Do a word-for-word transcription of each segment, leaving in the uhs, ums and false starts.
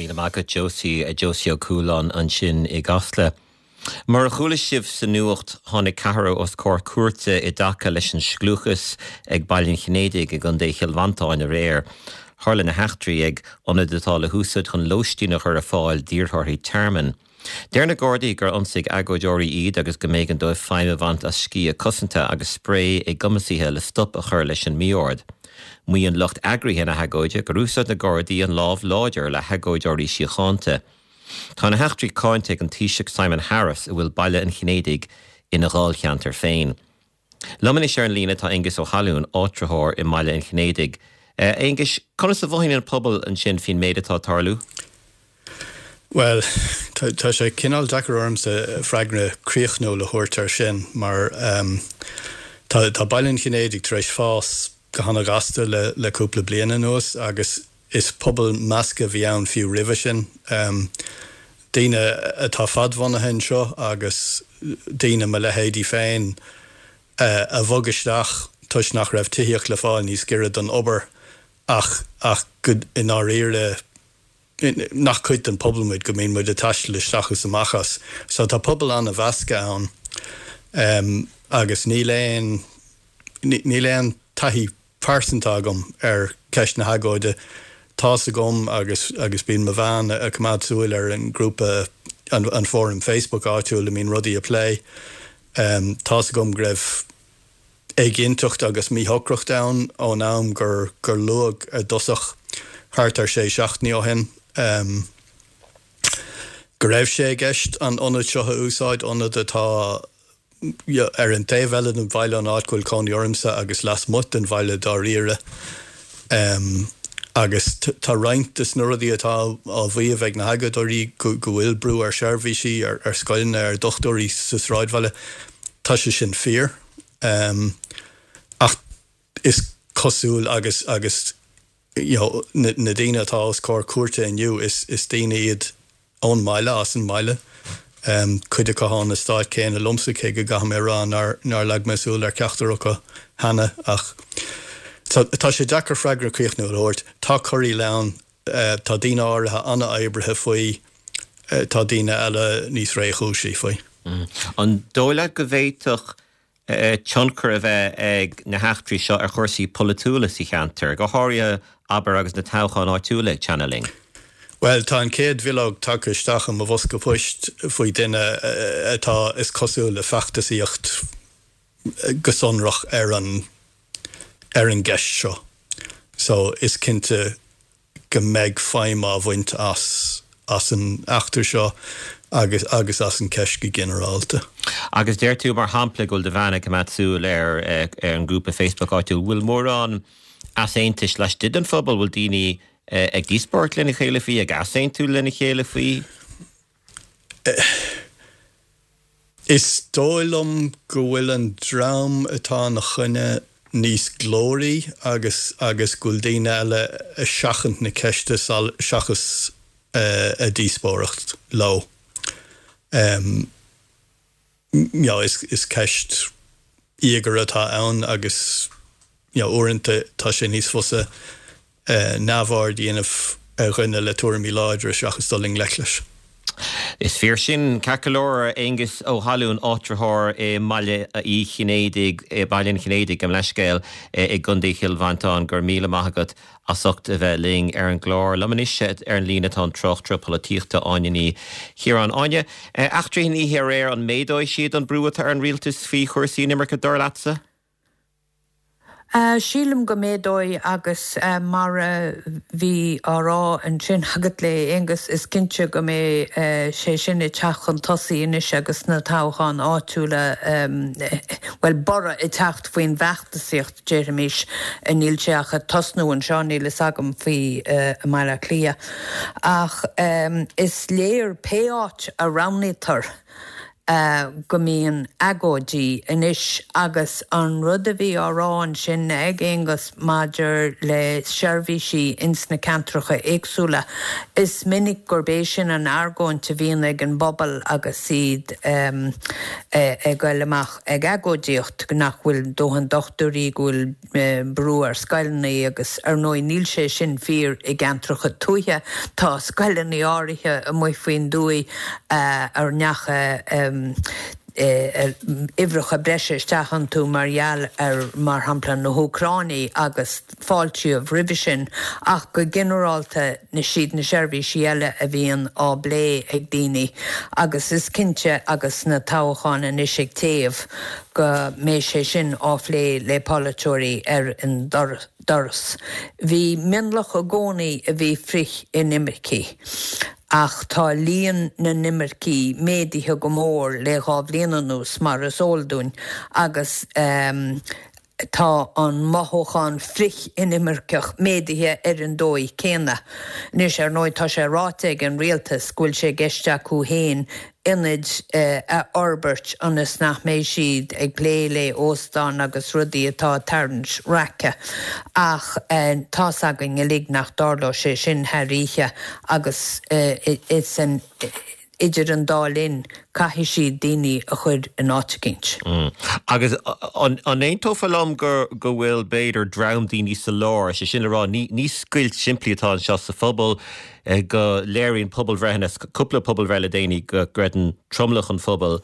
Míle maith agat Josie Josie Ó Cualáin ansin i gCasla. Mar a chuala sibh sa nuacht tháinig ceathrar os comhair cúirte i dtaca leis an scliúchas ag Baile an Chinnéidigh i gContae Chill Mhantáin aréir. Tharla na heachtraí ag ionad atá le húsáid chun lóistín a chur ar fáil d'iarrthóirí tearmainn. Deir na Gardaí gur ionsaigh agóideoirí iad agus go mb'éigean dóibh feidhm a bhaint as sciath cosanta agus spraoi éagumasaithe le stop a chur leis an mí-ord. Maíonn lucht eagraithe na hagóide gur úsáid na Gardaí an lámh láidir le hagóideoirí síochánta. Tá na heachtraí cáinte ag an Taoiseach Simon Harris a bhfuil Baile an Chinnéidigh ina dháilcheantar féin. Liom anois ar an líne tá Aengus Ó hAlún áitritheoir i mBaile an Chinnéidigh. Uh, Aengus, conas a mhothaíonn an pobal ansin faoin méid atá ag tarlú? Well, tá sé cineál deacair ormsa freagra críochnúil a thabhairt air sin mar um, tá, tá Baile an Chinnéidigh tar éis fás go han-ghasta le, le cúpla bliain anuas agus is pobal measctha a bhí ann fiú roimhe sin. Um, daoine atá fadbhunaithe anseo agus daoine mo leithéidí féin uh, a bhog isteach toisc nach raibh tithíocht le fáil níos gaire don obair ach ach go i ndáiríre nach cuid den pobal muid go mbíonn muid ag taisteal isteach is amach as. So tá pobal an-mheasctha ann um, agus níl aon níl aon taithí pearsanta agam ar ceist na hagóide. Tá's agam agus agus bíonn mo bhean ag coimeád súil ar an grúpa an, an fóram Facebook áitiúil a mbíonn rudaí á bplé. Um, Tá's agam go raibh éiginnteacht agus míshocracht ann ón am gur gur luadh ar dtosach thart ar sé seachtainí ó shin. Um, go raibh sé i gceist an ionad seo a úsáid ionad atá ar an taobh eile den bhaile an áit go bhfuil cónaí ormsa agus lasmuigh den bhaile dáiríre. Um, agus tá roinnt de na rudaí atá á mhaíomh ag na hagóideoirí go bhfuil brú ar seirbhísí ar, ar scoileanna ar dochtúirí sa sráidbhaile Tá sé sin fíor. Um, ach is cosúil agus agus you know, na, na daoine atá os comhair cúirte inniu is, is daoine iad ón mbaile as an mbaile. Um, cuid acu ón eastát céanna liomsa cé go gcaithfidh mé rá nár, nár leag mé súil ar ceachtar acu cheana ach tá sé deacair freagra críochnúil a thabhairt tá corraíl ann uh, tá daoine áirithe an-oibrithe faoi uh, tá daoine eile níos réchúisí faoi. Mm. An dóigh leat go bhféadfadh uh, tionchar a bheith ag na heachtraí seo ar chúrsaí polaitiúla sa cheantar, go háirithe abair agus na toghcháin áitiúla ag teannadh linn. Well tá an chéad bhileog tagtha isteach i mo bhosca poist faoi duine atá is cosúil le feachtasaíocht go sonrach ar an ar an gceist seo. So is cinnte go mbeidh feidhm á bhaint as as an eachtra seo agus agus as an ceist go ginearálta. Agus deir tú mar shampla go bhfuil do bhean ag coimeád súil ar ar an grúpa Facebook áitiúil, bhfuil mórán easaontais laistigh den phobal bhfuil daoine ag díospóireacht lena chéile faoi ag easaontú lena chéile faoi? Is dóigh liom go bhfuil an dream atá ina choinne níos glóraí agus agus go bhfuil daoine eile ag seachaint na ceiste seachas uh, a díospóireacht leo. Um, you know, is, is ceist íogair atá ann agus you know, uaireanta tá sé níos fusa uh, neamhaird a dhéanamh ar dhuine le tuairimí láidre seachas dul i ngleic leis. Is fíor sin ceart go leor Aengus Ó hAlún áitritheoir i mBaile Uí Chinnéidigh Baile an Chinnéidigh gabh mo leithscéal i gContae Chill Mhantáin go raibh míle maith agat as ucht a bheith linn ar an gclár. Liom anois ar an líne tá an tráchtaire polaitíochta Áine Ní Chiaráin Áine. Eachtraí na hoíche aréir an méadóidh siad an brú atá ar an rialtas faoi chúrsaí imirce dar leatsa? Uh, sílim go méadóidh agus uh, mar uh, bhí á rá ansin agat le Aengus is cinnte go mbeidh uh, sé sin ag teacht chun tosaigh anois agus na toghcháin áitiúla um, well borradh ag teacht faoin bhfeachtasaíocht déarfaimis níl sé ach ag tosnú anseo níl a fhios agam faoi uh, Baile Átha Cliath. Ach um, is léir pé áit a roghnaítear go mbíonn agóidí anois agus an rud a bhí á rá ansin ag Aonghus maidir le seirbhísí ins na ceantracha éagsúla. Is minic gurb é sin an argóint a bhíonn ag an bpobal agus iad um, ag dul amach ag agóidíocht nach bhfuil dóthain dochtúirí go bhfuil brú ar scoileanna agus ar ndóigh níl sé sin fíor i gceantracha tuaithe tá scoileanna áirithe amuigh faoin dtuath ar ndeachaigh uimhreacha breise isteach iontu mar gheall ar mar shampla na hÚcránaigh agus fáiltíodh roimhe sin ach go ginearálta na siad na seirbhísí eile a bhíonn á bplé ag daoine agus is cinnte agus na toghcháin anois ag téamh go mbeidh sé sin á phlé le polaiteoirí ar an doras. Bhí mionlach i gcónaí a bhí frith-inimircigh. Ach tá líon na n-inimirceach méadaithe go mór le dhá bhliain anuas mar is eol dúinn agus um, tá an mothúchán frith-inimirceach méadaithe ar an dóigh céanna. Anois ar ndóigh tá sé ráite ag an rialtas go bhfuil sé i gceist acu féin ionaid a fhorbairt ionas nach mbeidh siad ag plé le óstáin agus rudaí atá ag tarraingt raice. Ach tá's againn uilig nach dtarlóidh sé sin thar oíche agus is an idir an dá linn caithfidh siad daoine a chur in áit éicint. Agus an aontófá liom gur go bhfuil b'fhéidir dream daoine sa lár, sé sin le rá ní ní scoilt simplí atá anseo sa phobal go léiríonn pobalbhreitheanna cúpla pobalbhreith le déanaí go gcreideann tromlach an phobail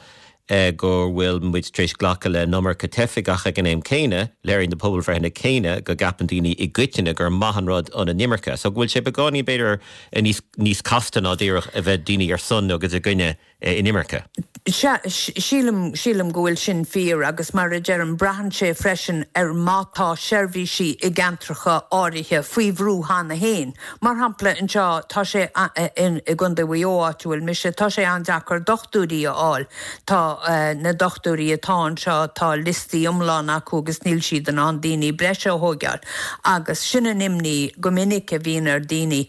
go bhfuil muid tar éis glacadh le an iomarca teifigh ach ag an am céanna, léiríonn na pobalbhreitheanna céanna go gceapann daoine i gcoitinne gur maith an rud an inimirce. So go bhfuil sé beagáinín b'fhéidir níos níos casta ná díreach a bheith daoine ar son agus i gcoinne inimirce. Sea, sílim sílim go bhfuil sin fíor agus mar a deirim braitheann sé freisin ar má tá seirbhísí i gceantracha áirithe faoi bhrú cheana féin. Mar shampla anseo tá sé i gContae Mhaigh Eo áit a bhfuil mise, tá sé an-deacair dochtúirí a fháil. Tá na dochtúirí atá anseo tá liostaí iomlán acu agus níl siad in ann daoine breise a thógáil. Agus sin an imní go minic a bhíonn ar daoine.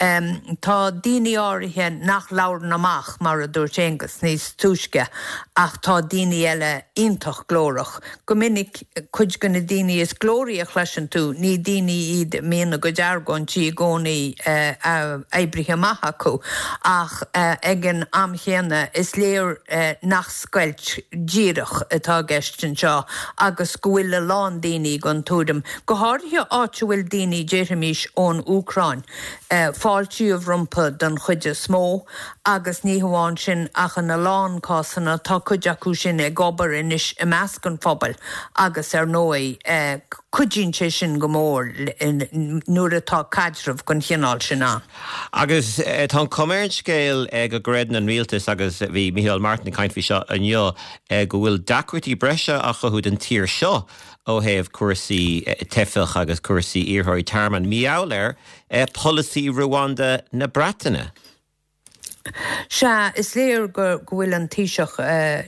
Um, tá daoine áirithe nach labhrann amach mar a dúirt Aonghus níos túisce ach tá daoine eile iontach glórach. Go minic cuid de na daoine is glóraí a chloiseann tú, ní daoine iad a mbíonn a gcuid argóintí i gcónaí uh, oibrithe amach acu ach uh, ag an am chéanna is léir uh, nach scoilt díreach atá i gceist anseo agus go bhfuil a lán daoine den tuairim. Go háirithe áit a bhfuil daoine déarfaimis ón Úcráin. Uh, fáiltíodh rompu den chuid is mó agus ní hamháin sin ach in a lán cásanna tá cuid acu sin ag obair anois i measc an phobail agus ar ndóigh eh, cuidíonn sé sin go mór nuair atá caidreamh den chineál sin ann. Agus eh, tá an chuma ar an scéal go gcreideann an rialtas agus bhí Micheál Martin ag caint faoi seo inniu go bhfuil deacrachtaí breise á chothú don tír seo ó thaobh cúrsaí teifeach agus cúrsaí iarrthóirí tearmainn mar gheall ar polasaí Rwanda na Breataine. Sea, is léir go bhfuil an Taoiseach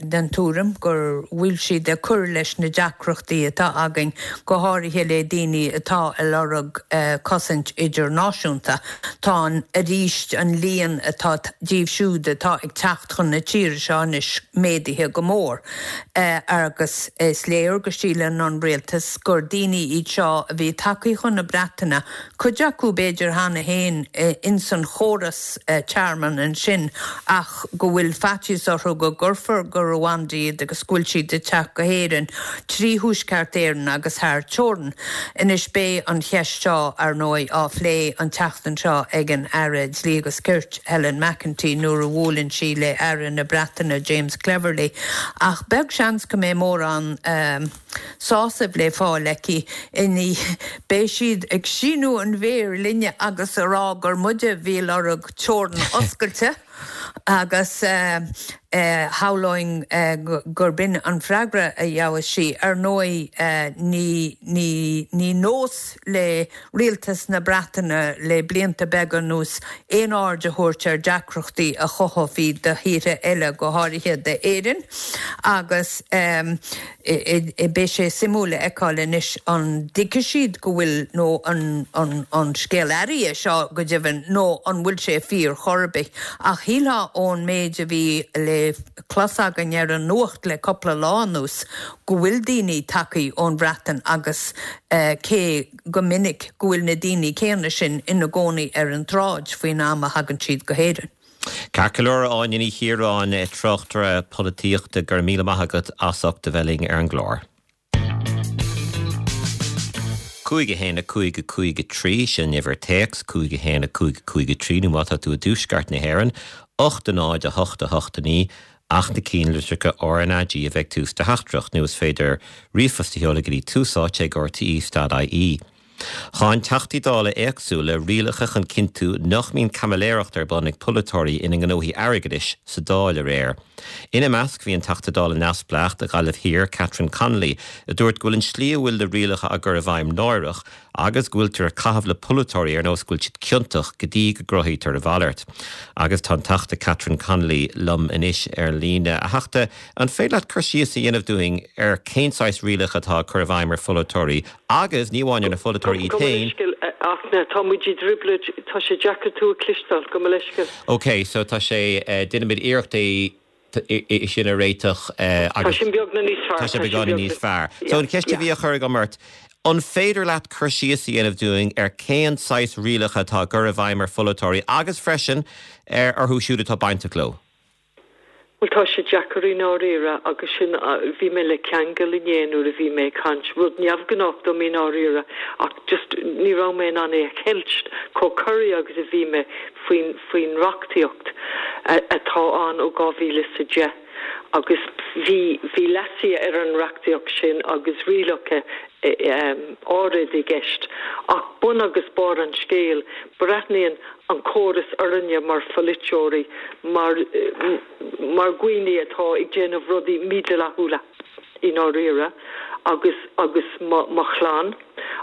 den tuairim gur bhfuil siad ag cur leis na deacrachtaí atá againn go háirithe le daoine atá ag lorg cosaint idirnáisiúnta. Tá an arís an líon atá díobh siúd atá ag teacht chun na tíre seo anois méadaithe go mór. Agus is léir go síleann an rialtas gur daoine iad seo a bhí tagtha chun na Breataine, cuid acu b'fhéidir cheana féin ins an chóras tearmainn ansin. sin ach go bhfuil faitíos orthu go gcuirfear go Rwanda iad agus go bhfuil siad ag teacht go hÉirinn trí Thuaisceart Éireann agus thar teorainn. Anois beidh an cheist seo ar ndóigh á phlé an tseachtain seo ag an Aire Dlí agus Cirt Helen McEntee nuair a bhuaileann sí le Aire na Breataine James Cleverly. Ach beag seans go mbeidh mórán um, sásamh le fáil aici inní beidh siad ag síniú an mhéir linne agus a rá gur muide a bhí ag lorg teorainn oscailte agus shamhlóinn gurb in an freagra a gheobhas sí. Ar ndóigh ní ní ní nós le rialtas na Breataine le blianta beaga anuas aon aird a thabhairt ar deacrachtaí a chothófaí do thíortha eile go háirithe d'Éirinn agus beidh sé suimiúil a fheiceáil anois an dtuigfidh siad go bhfuil nó an an an scéal athraithe seo go deimhin nó an bhfuil sé fíor chor ar bith. Ach shílfeá ón méid a bhí le le clos againn ar an nuacht le cúpla lá anuas go bhfuil daoine tagtha ón Bhreatain agus uh, cé go minic go bhfuil na daoine céanna sin ina gcónaí ar an tsráid faoin am a thagann siad go hÉirinn. Ceart go leor Áine Ní Chiaráin tráchtaire polaitíochta go raibh míle maith agat as ucht a bheith linn ar an gclár. Cúig a haon a cúig a cúig a trí sin uimhir téacs cúig a haon a cúig a cúig a trí nó má tá tú i dtuaisceart na hÉireann, ocht a náid a hocht a hocht a naoi ach na ceannlitreacha RnaG a bheith ag tús do theachtaireacht nó is féidir ríomhphost a sheoladh go dtí tús áite ag RTÉ dot IE. Cháin Teachtaí Dála éagsúla rialacha chun cinntiú nach mbíonn caimiléireacht ar bun ag polaiteoirí ina ngnóthaí airgeadais sa Dáil aréir. Ina measc bhí an Teachta Dála neamhspleách do Ghaillimh Thiar, Catherine Connolly, a dúirt go bhfuil an tslí a bhfuil na rialacha á gcur i bhfeidhm náireach agus go bhfuiltear ag caitheamh le polaiteoirí ar nós go bhfuil siad ciontach go dtí go gcruthaítear a mhalairt. Agus tá an Teachta Catherine Connolly liom anois ar líne. A Theachta, an féidir leat cur síos a dhéanamh dúinn ar cén saghas rialacha atá á cur i bhfeidhm ar pholaiteoirí agus ní amháin ar na pholaiteoirí iad féin? Ach tá muid i dtrioblóid, tá sé deacair tú a chloisteáil, gabh mo leithscéal. Ok, so tá sé, déanfaimid iarracht é é sin a réiteach agus. Tá sin beagnach níos fearr. Tá sé beagáinín níos fearr. So an cheist a bhí á chur agam ort, an féidir leat cur síos a dhéanamh dúinn ar cén saghas rialacha atá á gcur i bhfeidhm ar pholaiteoirí agus freisin ar orthu siúd atá bainteach leo? Bhuel tá sé deacair i ndáiríre agus sin bhí mé le ceangal inné nuair a bhí mé ag caint, rud neamhghnách dom i ndáiríre ach just ní raibh mé in ann é a cheilt chomh corraithe agus a bhí mé faoin faoin reachtaíocht atá ann ó dhá mhíle is a deich agus bhí bhí leasuithe ar an reachtaíocht sin agus rialacha áirid i gceist ach bun agus barr an scéil, breathnaíonn an córas orainne mar pholaiteoirí mar mar dhaoine atá ag déanamh rudaí mídhleathúla i ndáiríre agus agus mo mo chlann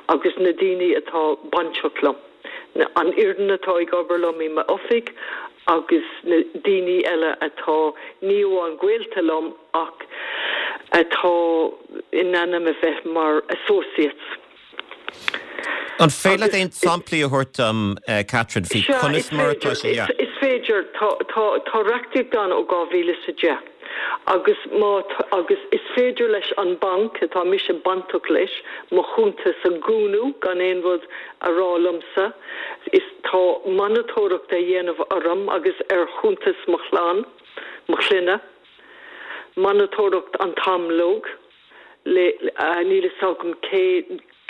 agus na daoine atá bainteach liom, an fhoireann atá ag obair liom i m'oifig agus na daoine eile atá ní amháin gaolta liom ach atá in ainm a bheith mar associates. An féidir leat aon samplaí a thabhairt dom, Catherine, faoi conas mar atá sé? Is féidir. Tá reachtaíocht ann ó dhá mhíle is a deich agus má agus is féidir leis an banc atá mise bainteach leis mo chuntas a dhúnadh gan aon rud a rá liomsa. Is tá monatóireacht á dhéanamh orm agus ar chuntas mo chlann, mo chlainne. Monatóireacht an t-am uilig le níl fhios agam cé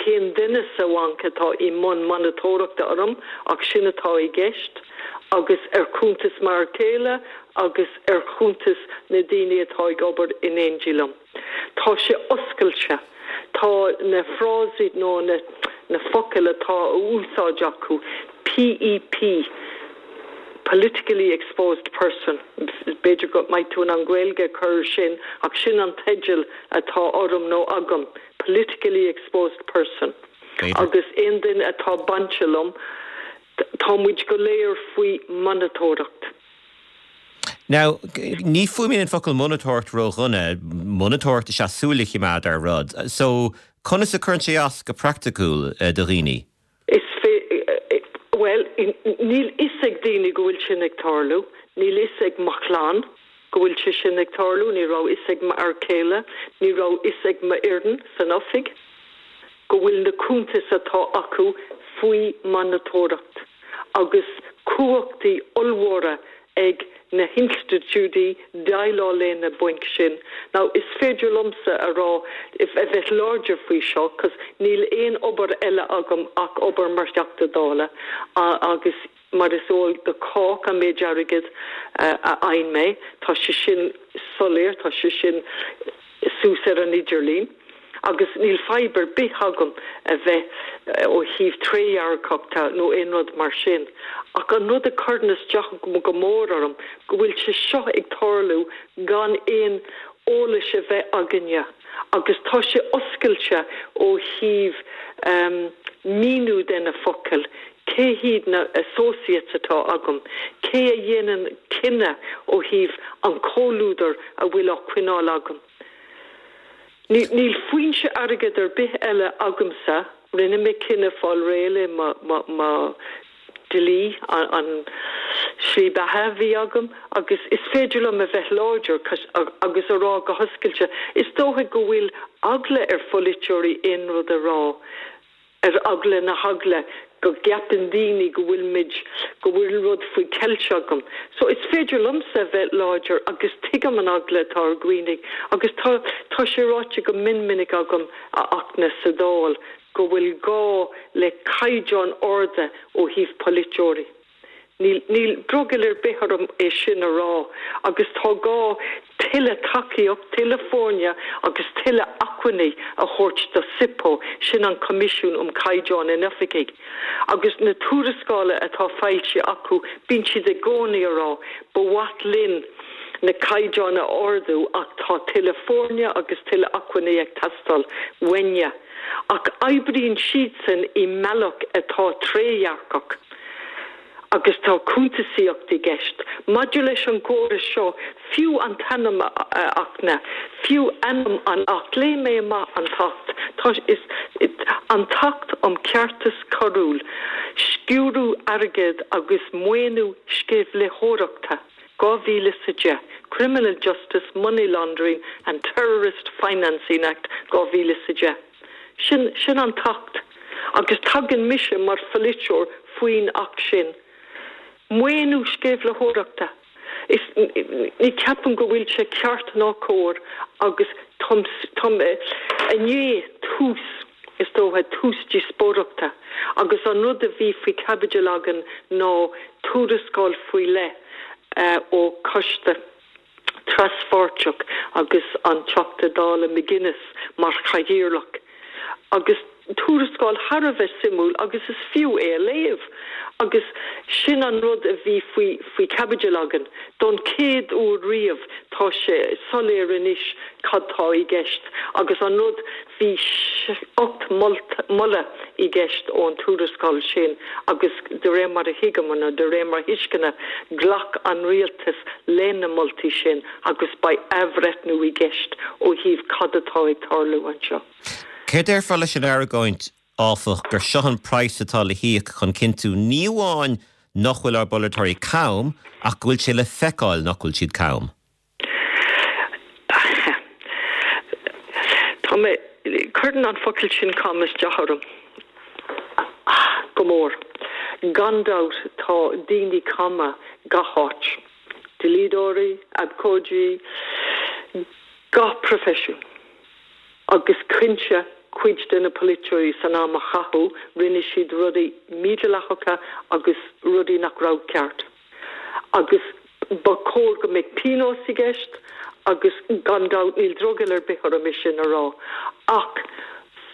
cén duine sa bhanc atá i mbun monatóireachta orm ach sin atá i gceist agus ar chuntas m'fhear céile agus ar chuntas na daoine atá ag obair in éindí liom. Tá sé oscailte. Tá na frásaí nó na na focail atá á úsáid acu, PEP, Politically Exposed Person, b'fhéidir go mbeidh tú in ann Gaeilge a chur ar sin ach sin an teideal atá orm nó agam, Politically Exposed Person. Agus aon duine atá bainte liom, tá muid go léir faoi mhonatóireacht. Now, ní fuaimníonn an focal monatóireacht ródhona, monatóireacht is ea súil a choimeád ar rud. So, conas a chuireann sé as go praiticiúil do dhaoine? Is bhuel, níl fhios ag daoine go bhfuil sin ag tarlú, níl fhios ag mo chlann go bhfuil sé sin ag tarlú, ní raibh fhios ag m'fhear céile, ní raibh fhios ag m'fhoireann san oifig go bhfuil na cuntais atá acu faoi mhonatóireacht agus cumhachtaí ollmhóra ag na hinstitiúidí déileáil le na bainc sin. Now is féidir liomsa a rá, a bheith láidir faoi seo, 'cause níl aon obair eile agam ach obair mar Theachta Dála agus mar is eol do chách an méid airgid a fhaigheann mé, tá sé sin soiléir, tá sé sin suas ar an idirlíon. Agus níl fadhb ar bith agam a bheith ó thaobh trédhearcachta nó aon rud mar sin. Ach an rud a chuireann isteach go mór orm go bhfuil sé seo ag tarlú gan aon eolais a bheith againne agus tá sé oscailte ó thaobh míniú de na focail, cé hiad na associates atá agam, cé a dhéanann cinneadh ó thaobh an comhluadar a bhfuil á coinneáil agam. Níl foinse airgid ar bith eile agamsa, rinne mé cinneadh fáil réidh le mo dlí, an slí beatha a bhí agam agus is féidir liom a bheith láidir agus a rá go hoscailte. Is dócha go bhfuil eagla ar pholaiteoirí aon rud a rá, ar eagla na heagla go gceapann daoine go bhfuil muid, go bhfuil rud faoi cheilt agam. So is féidir liomsa a bheith láidir agus tuigim an eagla atá ar dhaoine agus tá, tá sé ráite go mion minic agam a Fhachtna sa Dáil go bhfuil gá le caighdeáin arda ó thaobh polaiteoirí. Níl, níl drogall ar bith orm é sin a rá agus tá gá tuilleadh tacaíocht, tuilleadh foirne agus tuilleadh acmhainní a thabhairt do SIPO, sin an Coimisiún um Caighdeán in Oifigí. Agus na tuarascála atá foilsithe acu, bíonn siad i gcónaí a rá, ba mhaith linn na caighdeáin a ardú ach tá tuilleadh foirne agus tuilleadh acmhainní ag teastáil uainne. Ach oibríonn siadsan i mbealach atá trédhearcach. Agus tá cuntasaíocht i gceist. Maidir leis an gcóras seo, fiú an t-ainm, a Fhachtna, fiú ainm an Acht, léigh mé amach an tAcht, tá, is, an tAcht um Cheartas Coiriúil, Sciúradh Airgid agus Maoiniú Sceimhlitheoireachta, dhá mhíle is a deich, Criminal Justice, Money Laundering and Terrorist Financing Act, dhá mhíle is a deich. Sin, sin an tAcht. Agus tagann mise mar pholaiteoir faoin Acht sin. Maoiniú sceimhlitheoireachta. Is, ní ceapaim go bhfuil sé ceart ná cóir agus táim, táim i ndiaidh tús, is dócha, tús díospóireachta agus an rud a bhí faoi chaibidil againn ná tuarascáil faoi leith ó choiste traspháirteach agus an Teachta Dála McGuinness mar chathaoirleach agus tuarascáil thar a bheith suimiúil agus is fiú é a léamh agus sin an rud a bhí faoi faoi chaibidil againn. Don chéad uair riamh tá sé soiléir anois cad tá i gceist agus an rud bhí ocht moladh i gceist ón tuarascáil sin agus de réir mar a thuigim nó de réir mar thuisceana ghlac an rialtas le na moltaí sin agus beidh athbhreithniú i gceist ó thaobh cad atá ag tarlú anseo. Céard a déarfá leis an argóint, áfach, gur seo an praghas atá le híoc chun cinntiú ní amháin nach bhfuil ár bpolaiteoirí cam ach go bhfuil sé le feiceáil nach bhfuil siad cam? Tá mé, cuireann an focal sin cam isteach orm go mór. Gan dabht tá daoine cama gach áit. Dlíodóirí, abhcóidí, gach proifisiún. Agus cinnte cuid de na polaiteoirí san am a caitheadh, rinne siad rudaí mídhleathacha agus rudaí nach raibh ceart. Agus ba chóir go mbeadh pionós i gceist agus gan dabht níl drogall ar bith orm é sin a rá. Ach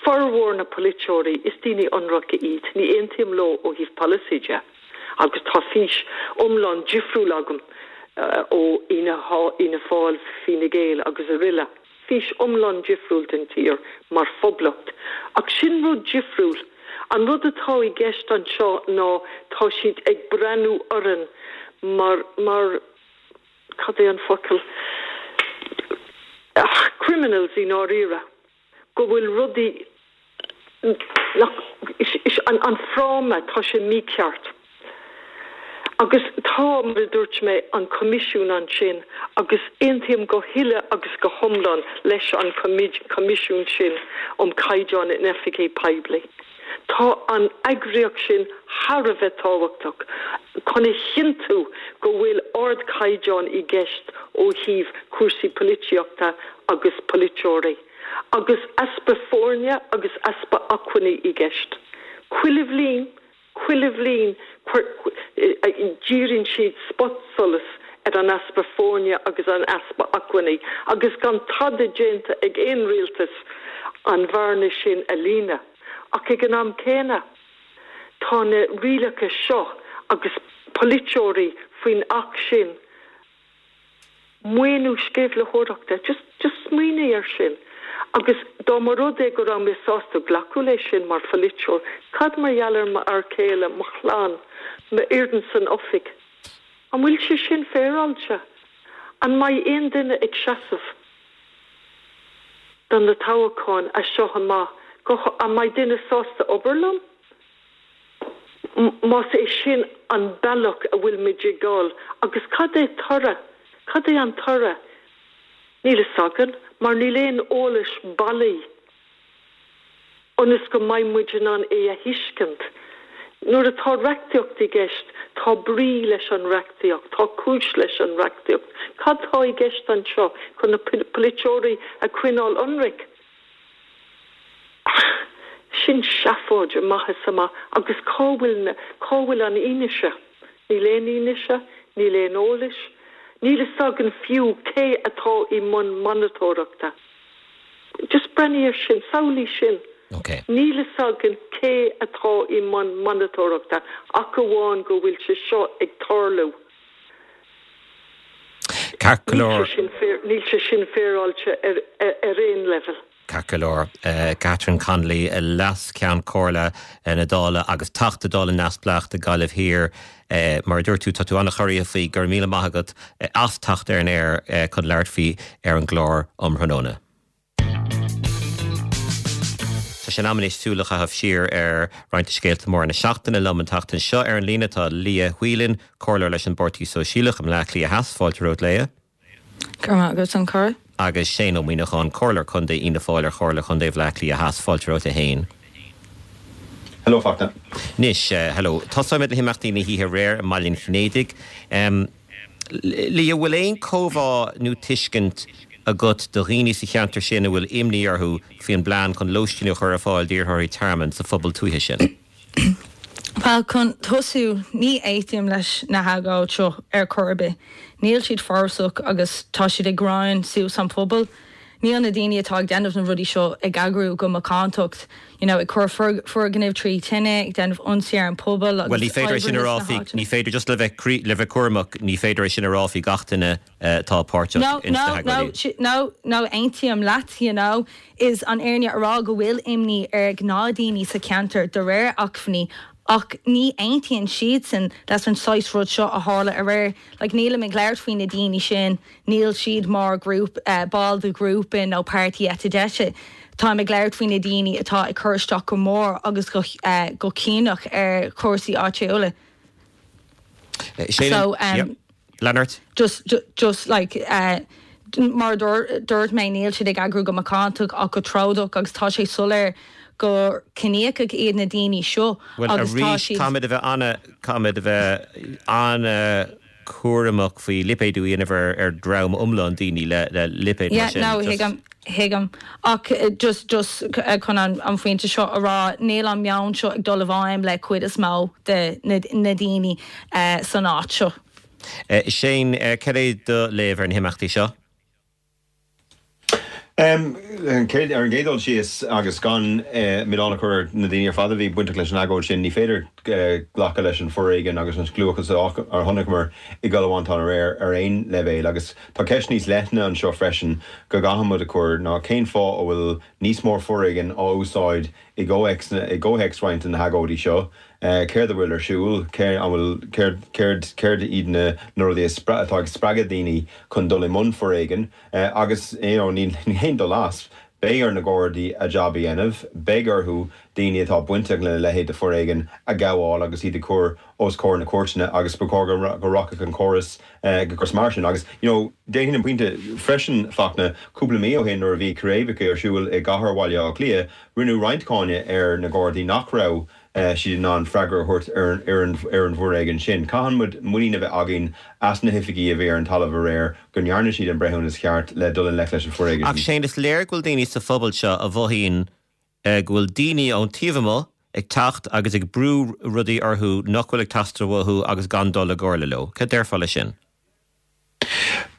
formhór na polaiteoirí, is daoine ionraice iad, ní aontaím leo ó thaobh polasaí de. Agus tá fís iomlán difriúil agam ó Fhianna Fáil, Fine Gael agus aroile. Fís iomlán difriúil den tír mar phoblacht. Ach sin rud difriúil. An rud atá i gceist anseo ná tá siad ag breathnú orainn mar, mar, cad é an focal, ach, criminals i ndáiríre. Go bhfuil rudaí nach, is, an, an fráma, tá sé mícheart. Agus tá, mar a dúirt mé, an Coimisiún ansin agus aontaím go huile agus go hiomlán leis an Coimisiún sin um Caighdeán in Oifigí Poiblí. Tá an eagraíocht sin thar a bheith tábhachtach chun a chinntiú go bhfuil ardchaighdeán i gceist ó thaobh cúrsaí polaitíochta agus polaiteoirí. Agus easpa foirne agus easpa acmhainní i gceist. Chuile bhliain, Chuile bhliain díríonn siad spotsolas ar an easpa foirne agus an easpa acmhainní agus gan tada déanta ag aon rialtas an bhearna sin a líonadh. Ach ag an am céanna, tá na rialacha seo agus polaiteoirí faoin Acht sin, maoiniú sceimhlitheoireachta, just, just smaoinigh air sin. Agus dá mba rud é go raibh mé sásta glacadh leis sin mar pholaiteoir, cad mar gheall ar m'fhear céile, mo chlann, m'fhoireann san oifig? An bhfuil sé sin féaráilte? An mbeidh aon duine ag seasamh do na toghcháin as seo amach? Go, an mbeidh duine sásta obair liom? Más é sin an bealach a bhfuil muid ag dul, agus cad é toradh? Cad é an toradh? Níl a fhios againn, mar níl aon eolas bailí ionas go mbeidh muid in ann é a thuiscint. Nuair atá reachtaíocht i gceist, tá brí leis an reachtaíocht, tá cúis leis an reachtaíocht. Cad tá i gceist anseo chun na polaiteoirí a choinneáil ionraic? Sin seafóid amach is amach agus cá bhfuil cá bhfuil an fhianaise? Níl aon fhianaise, níl aon eolas, níl a fhios againn fiú cé atá i mbun monatóireachta. Just breathnaigh air sin, samhlaigh sin. Okay. Níl a fhios againn cé atá i mbun monatóireachta ach amháin go bhfuil sé seo ag tarlú. Ceart go leor. Níl sé sin féaráilte ar, ar, ar aon level. Ceart go leor. Catherine Connolly, Leas-Cheann Comhairle na Dála agus Teachta Dála neamhspleách do Ghaillimh Thiar. Mar a dúirt tú, tá tú an-chorraithe faoi, go raibh míle maith agat as teacht ar an aer chun labhairt faoi ar an gclár um thráthnóna. Tá sé in am anois súil a chaitheamh siar ar roinnt de scéalta móra na seachtaine. Liom an tseachtain seo ar an líne tá Leah Whelan, comhairleoir leis an bPáirtí Sóisialach i mBleá Cliath Theas. Fáilte romhat, Leah. Go raibh maith agat, a chara. Agus Shane Ó Muíneacháin, Comhairleoir Contae Fhianna Fáil ar Chomhairle Chontae Bhaile Átha Cliath Theas. Fáilte romhat a Shéain. Hello, Fachtna. Anois, hello. Tosóimid le himeachtaí na hoíche aréir i mBaile an Chinnéidigh. Leah, bhfuil aon chomhbhá nó tuiscint agat do dhaoine sa cheantar sin a bhfuil imní orthu faoin bplean chun lóistín a chur ar fáil d'iarrthóirí tearmainn sa phobal tuaithe sin? Bhuel, chun tosú, ní aontaím leis na hagóid seo ar chor ar bith. Níl siad forásach agus tá siad ag grean suas an pobal. Níl na daoine atá ag déanamh na rudaí seo ag eagrú go macántacht, you know, ag cur foirgnimh trí tine, ag déanamh ionsaí ar an pobal agus Bhuel, ní féidir é sin a oibrithe rá sna faoi, háiteanna. ní féidir just le bheith le bheith cúramach, ní féidir é sin a rá faoi gach duine atá páirteach No, ins na no, no, hagóidí. no, no, aontaím leat, you know, is an fhírinne a rá go bhfuil imní ar gnáthdhaoine sa cheantar de réir acmhainní, ach ní aontaíonn siadsan leis an saghas rud seo a tharla aréir. Like, nílim ag labhairt faoi na daoine sin, níl siad mar grúp, uh, ball de ghrúpa nó páirtí eite deise. Táim ag labhairt faoi na daoine atá ag cur isteach go mór agus go, uh, go ciníoch ar chúrsaí áitiúla. Shane, So, um, yep. Leonard? Just, just, just like, uh, mar dúirt mé níl siad ag eagrú go macántach ach go trodach agus tá sé soiléir gur ciníocha iad na daoine seo Well, agus tá arís siad caithfimid a bheith an caithfimid a bheith an-chúramach faoi lipéadú a dhéanamh ar ar dream iomlán daoine le le lipéad mar Yeah, sin. no, Just- thuigim thuigim ach eh, just just eh, chun an, an phointe seo a rá níl an meon seo ag dul i bhfeidhm le cuid is mó de na, na daoine uh, san áit seo. Uh, Shane, uh, cad é do léamh ar na himeachtaí seo? Um, an céad ar an gcéad dul síos agus gan uh, milleán a chur na daoine ar fad a bhí bainteach leis an agóid sin ní féidir uh, glacadh leis an foréigean agus an scliúchas a chonaiceamar i gCill Mhantáin aréir ar aon leibhéal agus tá ceist níos leithne anseo freisin go gcaithfimid a chur ná cén fáth a bhfuil níos mó foréigean á úsáid i i gcomhthéacs roinnt na hagóidí seo. Uh, céard a bhfuil ar siúl an bhfuil céard céard iad na na rudaí atá ag spreagadh daoine chun dul i mbun foréigean uh, agus you know, ní haon dul as. Beidh ar na Gardaí a jab a dhéanamh, beidh orthu daoine atá bainteach lena leithéid de foréigean a ghabháil agus iad a chur os comhair na cúirteanna agus ba chóir go rachadh an córas uh, go mar sin agus you know, déanfainn an pointe freisin Fachtna cúpla mí ó shin nuair a bhí círéibeacha ar siúl i gcathair Bhaile Átha Cliath, rinneadh roinnt cáineadh ar na Gardaí nach raibh uh, siad in ann freagra a thabhairt ar, ar, an, ar an bhforéigean sin. Caithfidh muid muinín a bheith againn as na hoifigigh a bhí ar an talamh aréir go ndearna siad an breithiúnas ceart le dul i ngleic leis an foréigean. Ach Shane is léir go bhfuil daoine sa phobal seo a mhothaíonn uh, go bhfuil daoine ón taobh amuigh ag teacht agus ag brú rudaí orthu nach bhfuil ag teastáil uathu agus gan dul i gcomhairle leo. Cad déarfá leis sin?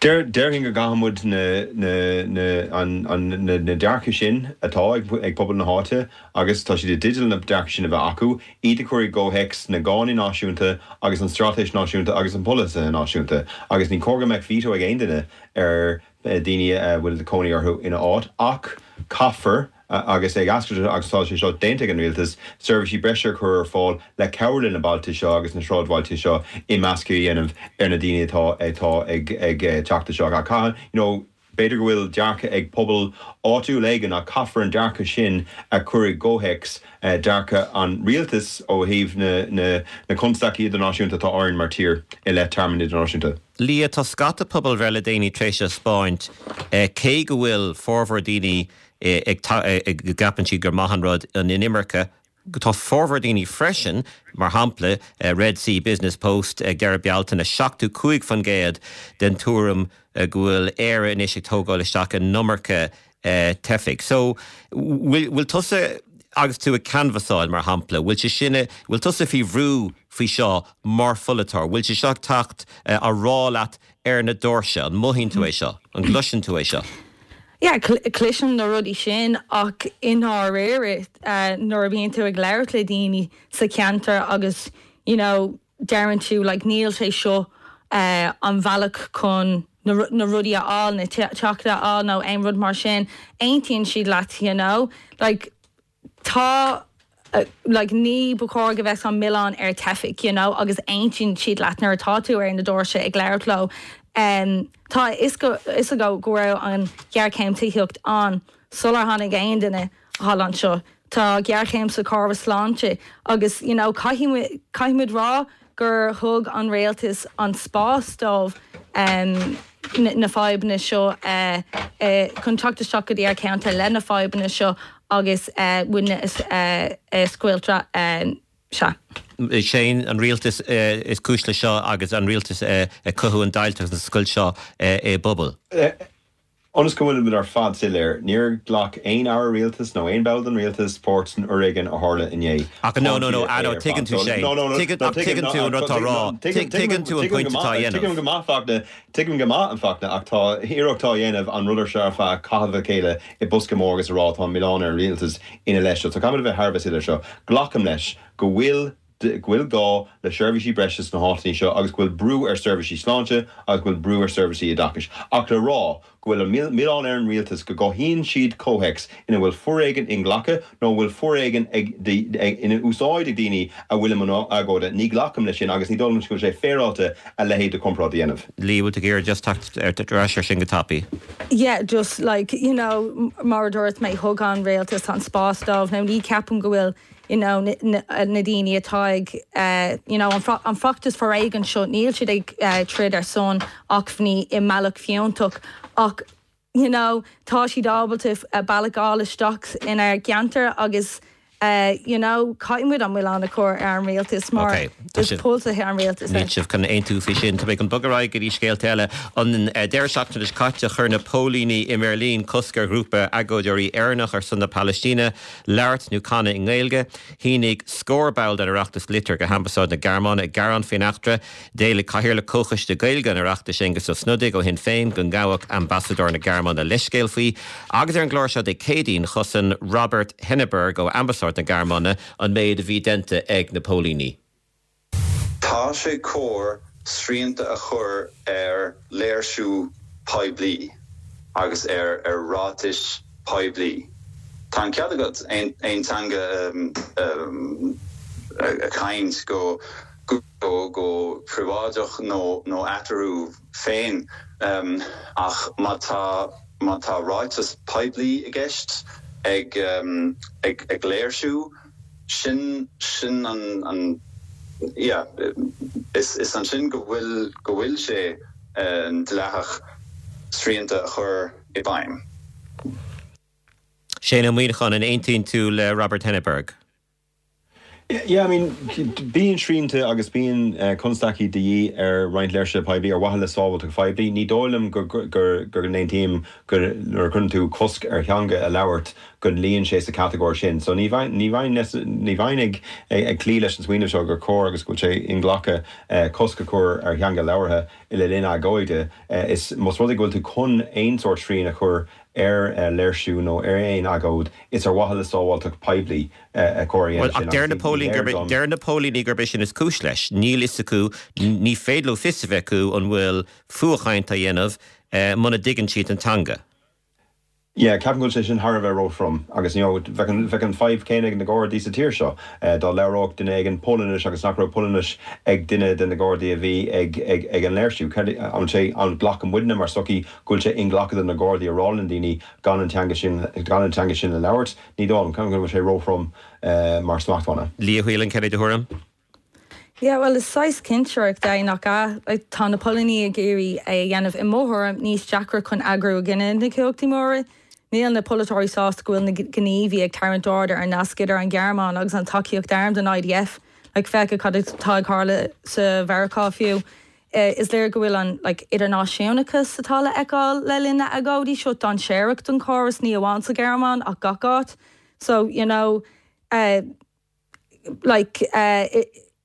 Déarfainn go gcaithfimid na, na, na, an, an, na, na dearcadh sin atá ag, ag pobal na háite agus tá siad i dteideal na dearcadh sin a bheith acu, iad a chur i gcomhthéacs na gcánaí náisiúnta agus an straitéis náisiúnta agus an polasaithe náisiúnta. agus ní cóir go mbeadh veto ag aon duine ar daoine a bhfuil cónaí orthu ina áit ach caithfear agus ag ascairt agus tá sé seo déanta ag an rialtas seirbhísí breise a chur ar fáil le cabhrú na bailte seo agus na sráidbhailte seo imeascadh a dhéanamh ar na daoine atá atá ag ag teacht seo a caihan you know, B'fhéidir go bhfuil dearcadh ag pobal áitiúil éigin ach caithfear an dearcadh sin a chur i gcomhthéacs dearcadh an rialtais ó thaobh na na na constaicí idirnáisiúnta atá orainn mar tír i leith tearmann idirnáisiúnta. Leah, tá scata pobalbhreith le déanaí tar éis a 'spáint cé go bhfuil formhór daoine ag go gceapann siad gur maith an rud an inimirce, tá formhór daoine freisin, mar shampla Red C Business Post ag deireadh Bealtaine, seachtó cúig faoin gcéad den tuairim go bhfuil Éire anois ag tógáil isteach an iomarca teifigh. So bhfuil tusa agus tú ag canbhasáil mar shampla, bhfuil sé sin, bhfuil tusa faoi bhrú faoi seo mar pholaiteoir, bhfuil sé seo ag teacht á rá leat ar na doirse, an mothaíonn tú é seo, an gcloiseann tú é seo? Yeah, cloisim na rudaí sin ach i ndáiríre nuair a bhíonn tú ag labhairt le daoine sa cheantar agus you know deireann tú like níl sé seo an bhealach chun na rudaí a fháil, na teachta a fháil nó aon rud mar sin, aontaíonn siad leat you know like tá like ní ba chóir go bheadh an milleán ar teifigh you know agus aontaíonn siad leat nuair atá tú ar na doirse ag labhairt leo. Um, tá a fhios acu go raibh an ghéarchéim tithíochta ann sular tháinig aon duine thall anseo. Tá géarchéim sa chóras sláinte agus you know, caithfidh caithfimid rá gur thug an rialtas an spás dóibh um, na fadhbanna seo uh, uh, chun teacht isteach go dtí ár gceantar le na fadhbanna seo agus uh, muidne uh, uh, scoiltre uh, sea. Shane an rialtas is cúis le seo agus an rialtas ag cothú an deighilt agus an scoilt seo i bpobal. Ionas go bhfuil muid ar fad soiléir, níor ghlac aon aire rialtais nó aon ball den rialtas páirt san fhoréigean a tharla inné. Ach no, no, no, no, tuigeann tú Shane. Tuigeann tú an rud atá á rá. Tuigeann tú an pointe atá á dhéanamh. Tuigim go maith Fachtna, tuigim go maith an Fachtna ach tá iarracht á dhéanamh an rud seo ar feadh caitheamh a chéile i bosca mór agus a rá tá an milleán ar an rialtas ina leith seo. So caithfimid a bheith thar a bheith soiléir seo. Glacaim leis go bhfuil go bhfuil gá le seirbhísí breise sna háiteanna seo agus go bhfuil brú ar seirbhísí sláinte agus go bhfuil brú ar seirbhísí oideachais. Ach le rá go bhfuil an milleán ar an rialtas go gcothaíonn siad comhthéacs ina bhfuil foréigean inghlactha nó bhfuil foréigean ina úsáid ag daoine a bhfuil i mbun agóide. Ní ghlacaim leis sin agus ní dóigh liom go bhfuil sé féaráilte a leithéid de chomparáid a dhéanamh. Leah, bhfuil tú ag iarraidh just teacht ar ais ar sin go tapaidh. Yeah, just like, you know, mar a dúirt mé thug an rialtas an spás dóibh. Now ní ceapaim go bhfuil you know, na, na daoine atá ag uh, you know, an, an feachtas foréigin seo níl siad ag uh, troid ar son acmhainní i mbealach fiúntach ach you know, tá siad ábalta uh, bealach a fháil isteach inár gceantar agus uh, you know, caithfimid an milleán a chur ar an rialtas mar okay, is polasaithe an rialtas. Níl sibh chun aontú faoi sin, Tá mé chun bogadh ar aghaidh go dtí scéalta eile an uh, deireadh seachtaine seo caite chuir na póilíní i mBeirlín cosc ar ghrúpa agóideoirí Éireannach ar son na Palaistíne, labhairt nó canadh i nGaeilge, shínigh scór ball den Oireachtas litir go hAmbasáid na Gearmáine ag gearán faoin eachtra, D'éiligh Cathaoirleach Comhchoiste Gaeilge an Oireachtais Aengus Ó Snodaigh ó Shinn Féin go ngabhfadh ambasadóir na Gearmáine leithscéal faoi, agus ar an gclár seo Dé Céadaoin chosain Robert Henneberg ó Ambasáid na Gearmáine an méid a bhí déanta ag na póilíní. Tá sé cóir srianta a chur ar léirsiú poiblí agus ar ar ráitis poiblí. Tá an cead agat aon aon teanga um, um, a chaint go go go príobháideach nó nó eatarthu féin um, ach má tá má tá ráiteas poiblí i gceist ag um, ag ag léirsiú sin sin an an yeah, is is ansin go bhfuil go bhfuil sé uh, dleathach srianta a chur i bhfeidhm. Shane Ó Muíneacháin an aontaíonn tú le Robert Henneberg. Yeah, I mean, bíonn srianta agus bíonn uh, constaicí de dhíth ar roinnt léirsithe poiblí ar mhaithe le sábháilteacht phoiblí, ní dóigh liom gur gur gur n-aontaím gur nuair a chuireann tú cosc ar theanga a labhairt go luíonn sé sa catagóir sin. So ní bheinn ní bheinn ní bheinn ag ag cloí leis an smaoineamh seo gur cóir agus go bhfuil sé inghlactha uh, cosc a chur ar theanga labhartha le linn agóide uh, is más rud é go bhfuil tú chun aon sórt srian a chur ar uh, léirsiú nó ar aon agóid is ar mhaithe le sábháilteacht poiblí uh, a chóir Well, ach deir na póilíní gurb deir na póilíní gurb é sin is cúis leis. Níl fhios acu ní féidir leo fios a bheith acu an bhfuil fuathchaint á dhéanamh uh, muna dtuigeann siad an teanga. Yeah, ceapaim go bhfuil sé sin thar a bheith róthrom agus you know, bheadh an bheadh an fadhb céanna ag na Gardaí sa tír seo eh, dá labhródh duine éigin Polainnis agus nach raibh Polainnis ag duine de na Gardaí a bhí ag ag ag an léirsiú. An sé an nglacann muidne mar sochaí go bhfuil sé inghlactha do na Gardaí a rá le daoine gan an teanga sin gan an teanga sin a labhairt, ní dóigh liom ceapaim go bhfuil sé róthrom eh, mar smachtbhanna. Leah Whelan cad é do thuairim? Yeah, well is saghas cinsireacht é nach ea like, tá na póilíní ag iarraidh é a dhéanamh i mo thuairim níos deacra chun eagrú i gcoinne na cumhachtaí móra. Níl na polaiteoirí sásta go bhfuil na gníomhaithe ag tarraingt aird ar an nasc idir an Ghearmáin agus an tacaíocht arm don IDF, like, féach cad atá ag tarlú sa Mheiriceá fiú. Uh, is léir go bhfuil an like, idirnáisiúnachas atá le feiceáil le linn na n-agóidí seo dainséarach don chóras ní amháin sa Ghearmáin ach gach áit. So you know, uh, like, uh,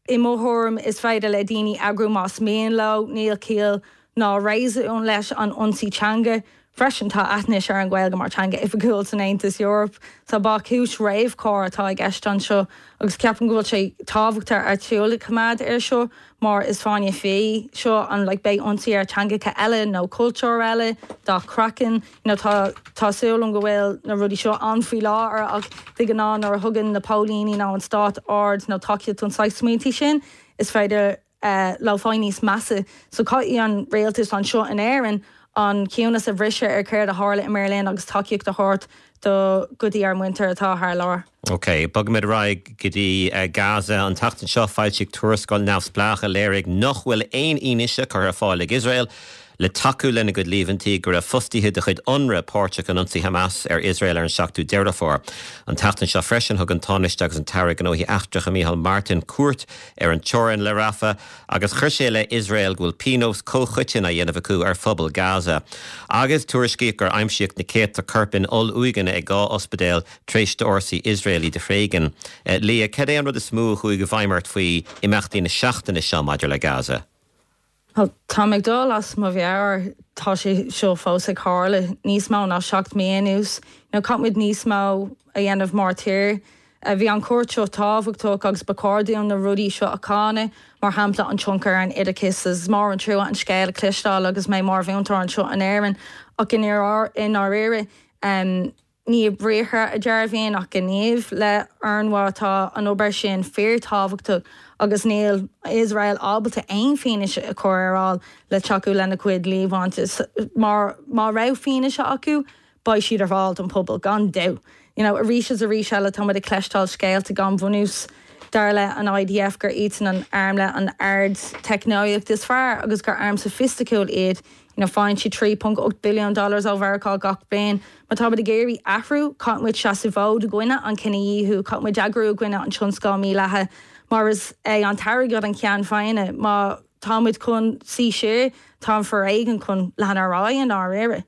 i mo thuairim is féidir le daoine eagrú más mian leo, níl ciall ná réasún leis an ionsaí teanga. Freisin tá aithint ar an Ghaeilge mar teanga oifigiúil san Aontas Eorpach, Tá ba chúis réamhchóir atá i gceist anseo agus ceapaim go bhfuil sé tábhachtach ar súil a choimeád air seo mar is fáinne fí seo an like, beidh ionsaí ar teangacha eile nó cultúr eile dá craiceann you know, tá tá súil agam go bhfuil na rudaí seo an faoi láthair ach de ghnáth nuair a thugann na póilíní nó an stát aird nó tacaíocht don saghas smaointe sin is féidir uh, le fáil níos measa so caithfidh an rialtas anseo in Éirinn an ciúnas a bhriseadh ar céard a tharla i mBeirlín agus tacaíocht a thabhairt do go dtí ár muintir atá thar lear. Ok, Bogfaimid ar aghaidh go dtí uh, Gaza an tseachtain seo foilsíodh tuarascáil neamhspleách a léirigh nach bhfuil aon fhianaise curtha ar fáil ag Iosrael le tacú lena gcuid líomhaintí go raibh fostaithe de chuid UNRWA páirteach in ionsaí Hamas ar Iosrael ar an seachtú Deireadh Fómhair. An tseachtain seo freisin thug an Tánaiste agus an tAire Gnóthaí Eachtracha Micheál Martin cuairt ar an teorainn le Rafah agus chuir sé le Iosrael go bhfuil pionós comhchoiteann á dhéanamh acu ar phobal Gaza. Agus tuairiscíodh gur aimsíodh na céadta corp in oll-uaigheanna ag dhá ospidéal tar éis d'fhórsaí Iosrael iad a thréigean. Eh, Leah cad é an rud is mó a chuaigh i bhfeidhm ort faoi imeachtaí na seachtaine seo maidir le Gaza. Tá ag dul as mo mheabhair tá sé seo fós ag tarlú níos mó ná seacht mí anuas, nó caithfimid níos mó a dhéanamh mar tír. Bhí an chuairt seo tábhachtach agus ba chóir dúinn na rudaí seo a cháineadh mar shampla an tionchar ar an oideachas is mór an trua an scéal a chloisteáil agus mé mar mhúinteoir anseo in Éirinn ach in i ndáiríre um, ní briathra a dearbhaíonn ach gníomh le UNRWA tá an obair sin fíorthábhachtach agus níl Iosrael ábalta aon fhianaise a chur ar fáil le tacú lena cuid líomhaintí mar má raibh fianaise acu beidh siad ar fáil don pobal gan dabht. You know, arís is arís eile tá ag cloisteáil scéalta gan bhunús dar le an IDF gur iad an arm le an ardteicneolaíocht is fearr agus gur arm soifisticiúil iad you know, faigheann siad trí ponc ocht billion dollars ó Mheiriceá gach bliain. Má tá ag iarraidh athrú caithfimid seasamh i gcoinne an cinedhíothú, caithfimid eagrú i gcoinne an tionscal míleata, mar is é an t-airgead an ceann feadhna má táimid chun suí siar tá an foréigean chun leanúint ar aghaidh dáiríre.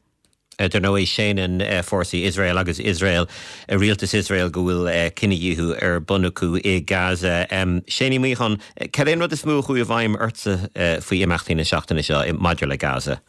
Dar ndóigh séanann fórsaí Iosrael agus Iosrael rialtas Iosrael go bhfuil cinedhíothú ar bun acu i Gaza. Shane Uí Mhuineacháin, cad é an rud is mó a chuaigh i bhfeidhm ortsa faoi imeachtaí na seachtaine seo maidir le Gaza.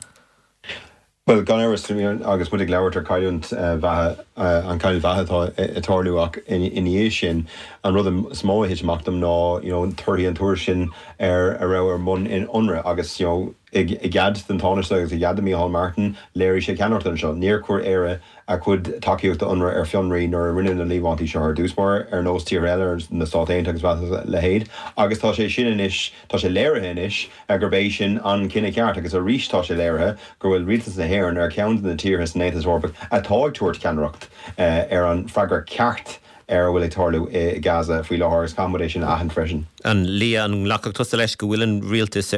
Well gan amhras agus muid ag labhairt ar cailliúint bheatha an cailliúint bheatha atá ag tarlú ach ina dhiaidh sin an rud is mó a thit amach dom ná you know, torthaí an tuairisc sin ar a raibh ar bun in UNRWA agus you know, i gcead den Tánaiste agus i gcead do Micheál Martin léirigh sé ceannaireacht anseo. Níor chuir Éire a cuid tacaíocht UNRWA ar fionraí nuair a rinneadh na líomhaintí seo ar dtús báire ar nós tír eile ar na Stáit Aontaithe agus leithéid, agus tá sé sin anois tá sé léirithe anois gurb é sin an cinneadh ceart agus arís tá sé léirithe go bhfuil rialtas na hÉireann ar cheann de na tíortha san Aontas Eorpach atá ag tabhairt ceannaireacht ar an freagra ceart ar a bhfuil ag tarlú i Gaza faoi láthair agus caithfimid é sin a aithint freisin. An Leah an nglacfadh tusa leis go bhfuil an rialtas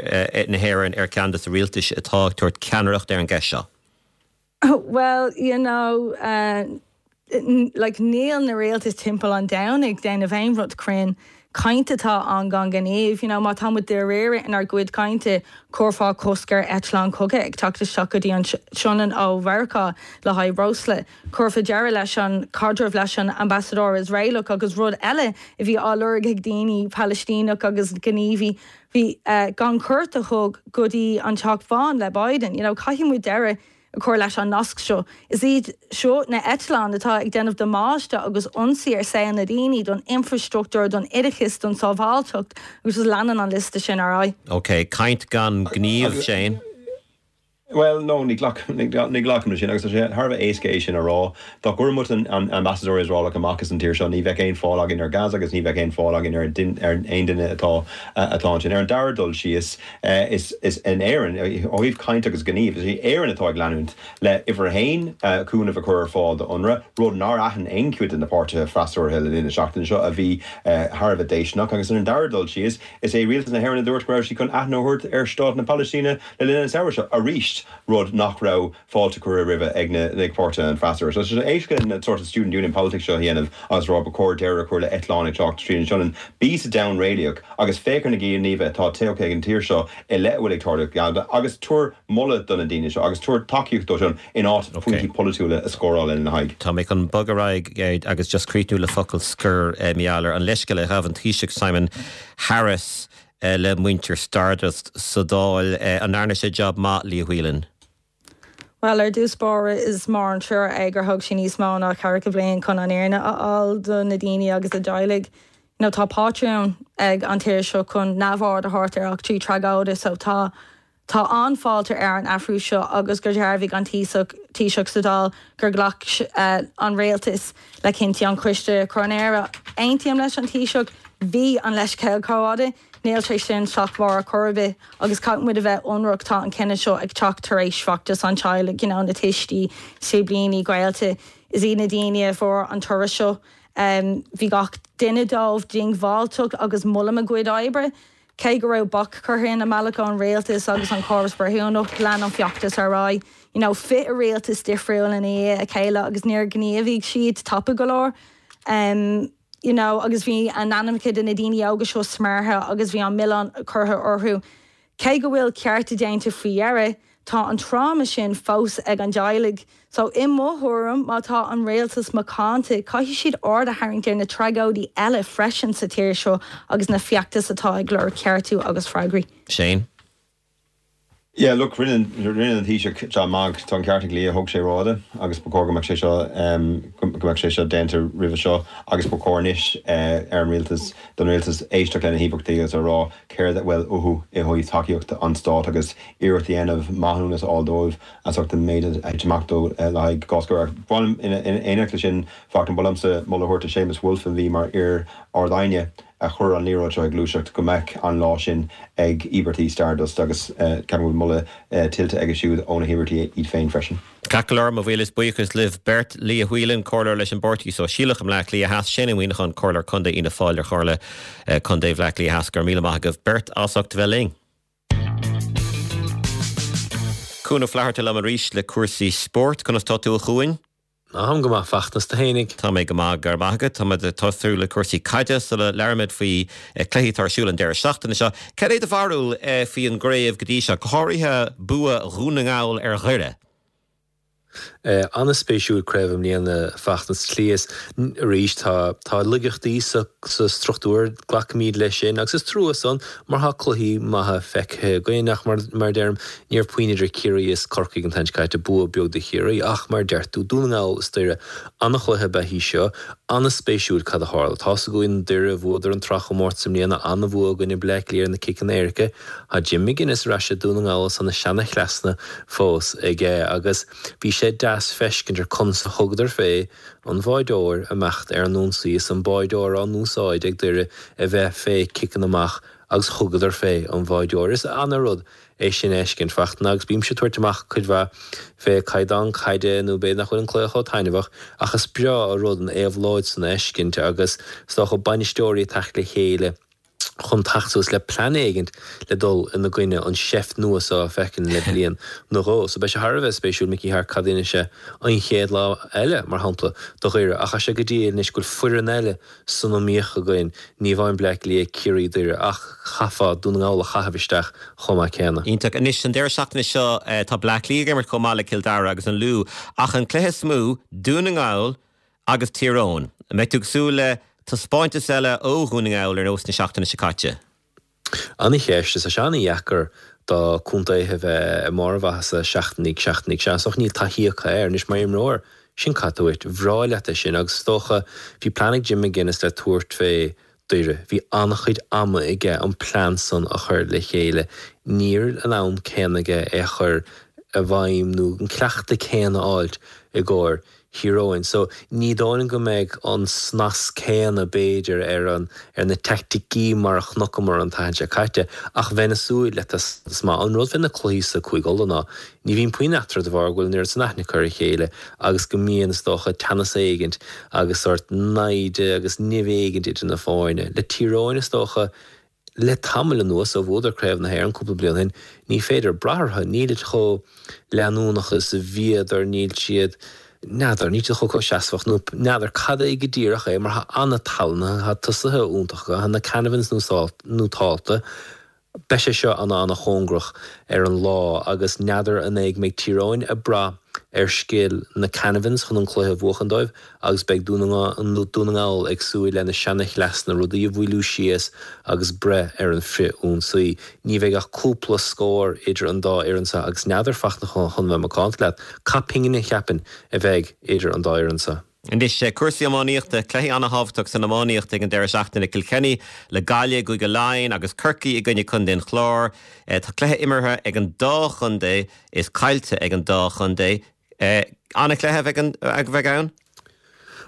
na hÉireann ar cheann de na rialtais atá ag tabhairt ceannaireacht ar an gceist seo. Well, you know, uh, like níl na rialtais timpeall an domhain ag déanamh aon rud cruinn caint atá ann gan gníomh, you know, má tá muid dáiríre inár gcuid cainte chuirfeá cosc ar eitleán cogaidh ag teacht isteach go dtí an Sionainn ó Mheiriceá le haghaidh breosla. Chuirfeá deireadh leis an caidreamh leis an ambasadóir Iosraelach agus rud eile a bhí á lorg ag daoine Palaistíneach agus gníomhaithe bhí uh, gan cuairt a thug go dtí an Teach Bán le Biden, you know, caithfidh muid deireadh a chur leis an nasc seo. Is iad seo na eitleáin atá ag déanamh damáiste agus ionsaí ar saol na daoine don infrastruchtúr don oideachas don sábháilteacht agus leanann an liosta sin ar aghaidh. Ok, caint gan gníomh Shane. Well, no, ní ghlacaim leis sin agus sé thar a bheith éasca é sin a rá. Dá gcuirfeadh muid an ambassador Iosraelach amach as an tír seo ní bheadh aon fáil againn ar Gaza agus ní bheadh aon fáil againn ar ar aon duine atá atá ansin. Ar an dara dul síos is is in Éirinn ó thaobh caint agus gníomh, is í Éirinn atá ag leanúint le uimhir a haon cúnamh a chur ar fáil do UNRWA, rud nár aithin aon chuid de na páirtithe freasúra le linn na seachtaine seo a bhí thar a bheith déistineach agus ar an dara dul síos is é rialtas na hÉireann a dúirt go raibh sí chun aithne a thabhairt ar stát na Palaistíne le linn an samhradh seo arís rud nach raibh fáilte curtha roimhe ag na ag páirtithe an freasúra. So is éasca na sort of student union politics seo a dhéanamh agus rá ba chóir deireadh a chur le eitleáin ag teacht tríd an Sionainn. Bí sa domhan réalaíoch agus féach ar na gníomha atá tógtha ag an tír seo i leith a bhfuil ag tarlú Gaza agus tabhair moladh do na daoine seo agus tabhair tacaíocht dóibh sin in áit pointí polaitiúla a scóráil ina n-aghaidh. Tá mé chun bogadh ar aghaidh agus just críochnú le focal scoir Mícheál ar an leithscéal a ghabh an Taoiseach Simon Harris le muintir Stardust sa Dáil an ndearna sé job maith Leah Whelan. Well ar dtús báire is mór an trua é gur thóg sé níos mó ná ceathracha bliain chun an fhírinne a fháil do na daoine agus a dteaghlaigh. You know, tá pátrún ag an tír seo chun neamhaird a thabhairt ar eachtraí tragóide so tá Tá an-fháilte ar an athrú seo agus gur dhearbhaigh an Taoiseach sa Dáil gur ghlac uh, an rialtas le cinntí an choiste coróinéara. Aontaím leis an Taoiseach bhí an leithscéal rófhada, níl sé sin slachtmhar chor ar bith agus caithfidh muid a bheith ionraic tá an cinneadh seo ag teacht tar éis feachtas an teaghlaigh you know, na tuistí siblíní gaolta is iad na daoine a fuair an toradh seo. Um, bhí gach duine dóibh diongbháilte agus molaim a gcuid oibre. Cé go raibh bac curtha ina mbealach an rialtas agus an córas breithiúnach lean an feachtas ar aghaidh. You know, fiche rialtas difriúil ina dhiaidh a chéile agus níor ghníomhaigh siad tapa go leor. Um, you know, agus bhí a n-ainmneacha de na daoine óga seo smeartha agus bhí an milleán curtha orthu. Cé go bhfuil cearta déanta faoi dheireadh, tá an tráma sin fós ag an dteaghlaigh. So i mo thuairim má tá an rialtas macánta, caithfidh siad aird a tharraingt ar na tragóidí eile freisin sa tír seo agus na feachtais atá ag lorg ceartú agus freagraí. Shane? Yeah, look, rinne rinne an Taoiseach job maith tá an ceart ag Leah thóg sé rófhada agus ba chóir go mbeadh sé seo go mbeadh sé seo déanta roimhe seo agus ba chóir anois ar an rialtas don rialtas éisteacht lena híobartaigh agus a rá céard a bhfuil uathu i dtaobh tacaíocht an stáit agus iarracht a dhéanamh maithiúnas a fháil dóibh as ucht an méid a thit amach dó le haghaidh gás. Bhainim in éineacht leis sin fachtain blamsa moladh a thabhairt do Séamus Woulfe a bhí mar iar-Ard-Aighne a chuir an liathróid seo ag gluaiseacht go mbeadh an lá sin ag íobartaigh Stardust agus ceapaim go bhfuil moladh tuillte aige siúd ó na híobartaigh iad féin freisin. Ceart go leor mo mhíle buíochas libh beirt Leah Whelan comhairleoir leis an bPáirtí Sóisialach i mBleá Cliath Theas Shane Ó Muíneacháin comhairleoir contae Fhianna Fáil ar Chomhairle Contae Bhleá Cliath Theas go raibh míle maith agaibh beirt as ucht bheith linn. Cuan Ó Flatharta liom arís le cúrsaí spóirt conas tá tú a Chuain? Táim go maith Fachtna is tú fhéinig. Tá mé go maith go raibh maith agat, Tá ag tosú le cúrsaí caide sula labhraímid faoi cluichí atá ar siúl an deireadh seachtaine seo. Cad é do bharúil faoi an gcraobh go dtí seo, go háirithe bua Dhún na nGall ar Dhoire. An-spéisiúil craobh i mbliana Fachtna is arís tá tá laigeachtaí sa sa struchtúr glacaimid leis sin agus is trua san mar tá cluichí maithe feicthe againn ach mar mar deirim ní raibh puinn idir Ciarraí is Corcaigh an t-am caite bua beag do Chiarraí ach mar deir tú Dún na nGall is Doire an-chluiche ba í seo an-spéisiúil cad a tharla. Tá againn Doire bhuadar an tsraithchomórtas i mbliana an-bhua i gcoinne Bleá Cliath na ciceanna éirice Tá Jim McGuinness ar ais i Dún na nGall san na seanchleasanna fós aige agus bhí sé deas feiscint ar conas a thugadar fé an bháideoir amach ar an ionsaí is an báideoir á n-úsáid ag Doire a bheith fé ciceanna amach agus thugadar fé an bháideoir. Is an-rud é sin a fheiscint Fachtna agus bímse ag tabhairt amach cuid mhaith fé caighdeán caide nó b'fhéidir nach bhfuil an cluiche chomh taitneamhach ach is breá an rud an éabhlóid san a fheiscint agus is dócha bainisteoirí ag teacht le chéile chun teacht suas le plean éigint le dul ina gcoinne an seift nua seo a feiceann le bliain nó dhó. So beidh sé thar a bheith spéisiúil Mickey Harte cad a dhéanfaidh sé an chéad lá eile mar shampla do Dhoire ach sé go dtí anois go bhfuil foireann eile san iomaíocht againn ní amháin Bleá Cliath Ciarraí Doire ach chaithfeá Dún na nGall a chaitheamh isteach chomh maith céanna. Iontach anois an deireadh seachtaine seo tá Bleá Cliath ag imirt chomh maith le Cill Dara agus an Lú ach an cluiche is mó Dún na nGall agus Tír Eoghain. Mbeidh tú ag súil le taispeántas eile ó Dhún na nGall ar nós na seachtaine seo caite. An-cheist is é an-dheacair do chontaetha bheith i mbarr a mhaitheasa seachtain i ndiaidh seachtain i ndiaidh seachtaine níl taithí acu air anois mar imreoir sin cad duit bhreá leat é sin agus is dócha bhí plean ag Jim McGuinness le tabhairt fé Doire. Bhí an-chuid ama aige an plean san a chur le chéile. Níl an am céanna aige é a chur i bhfeidhm nó an cleachtadh céanna a fháilt i gcomhair Thír Eoghain. So ní dóigh liom go mbeidh an snas céanna b'fhéidir ar an ar na teaicticí mar a chonaiceamar an tseachtain seo caite ach bheinn ag súil le taispeántas maith. An rud fé na cluichí sa Cúige Uladh ná ní bhíonn puinn eatarthu de bharr go bhfuil an oiread san aithne acu ar a chéile agus go mbíonn is dócha teannas éigint agus sórt naimhde agus nimh éigint idir na foirne. Le Tír Eoghain is dócha Le tamall anuas, ó bhuadar Craobh na hÉireann cúpla bliain ó shin, ní féidir brath orthu, nílid chomh leanúnach is a bhíodar, níl siad, n'fheadar, níl siad chomh comhsheasmhach, nó n'fheadar cad é go díreach é, mar tá an-tallann, tá tosaithe iontacha, tá na Canavans nótálta, beidh sé seo ana-ana-chóngarach ar an lá agus n'fheadar an é go mbeidh Tír Eoghain ag brath ar scil na Canavans chun an cluiche a bhuachan dóibh agus beidh Dún na nGall ag súil lena seana-chleasanna, rudaí a mhoilliú síos agus breith ar an frith-ionsaí. Ní bheidh ach cúpla scór idir an dá fhoireann seo agus n'fheadar Fachtna chun bheith macánta leat, cad pingine cheapfainn a bheidh idir an dá fhoireann seo. Anois, cúrsaí iománaíochta, cluichí ana-thábhachtach san iománaíocht ag an deireadh seachtaine, Kilkenny le Gaillimh i gCúige Laighean agus Corcaigh i gcoinne Contae an Chláir. Tá cluiche imeartha ag an dá chontae is caillte ag an dá chontae. Ana-chluiche a bheidh ann.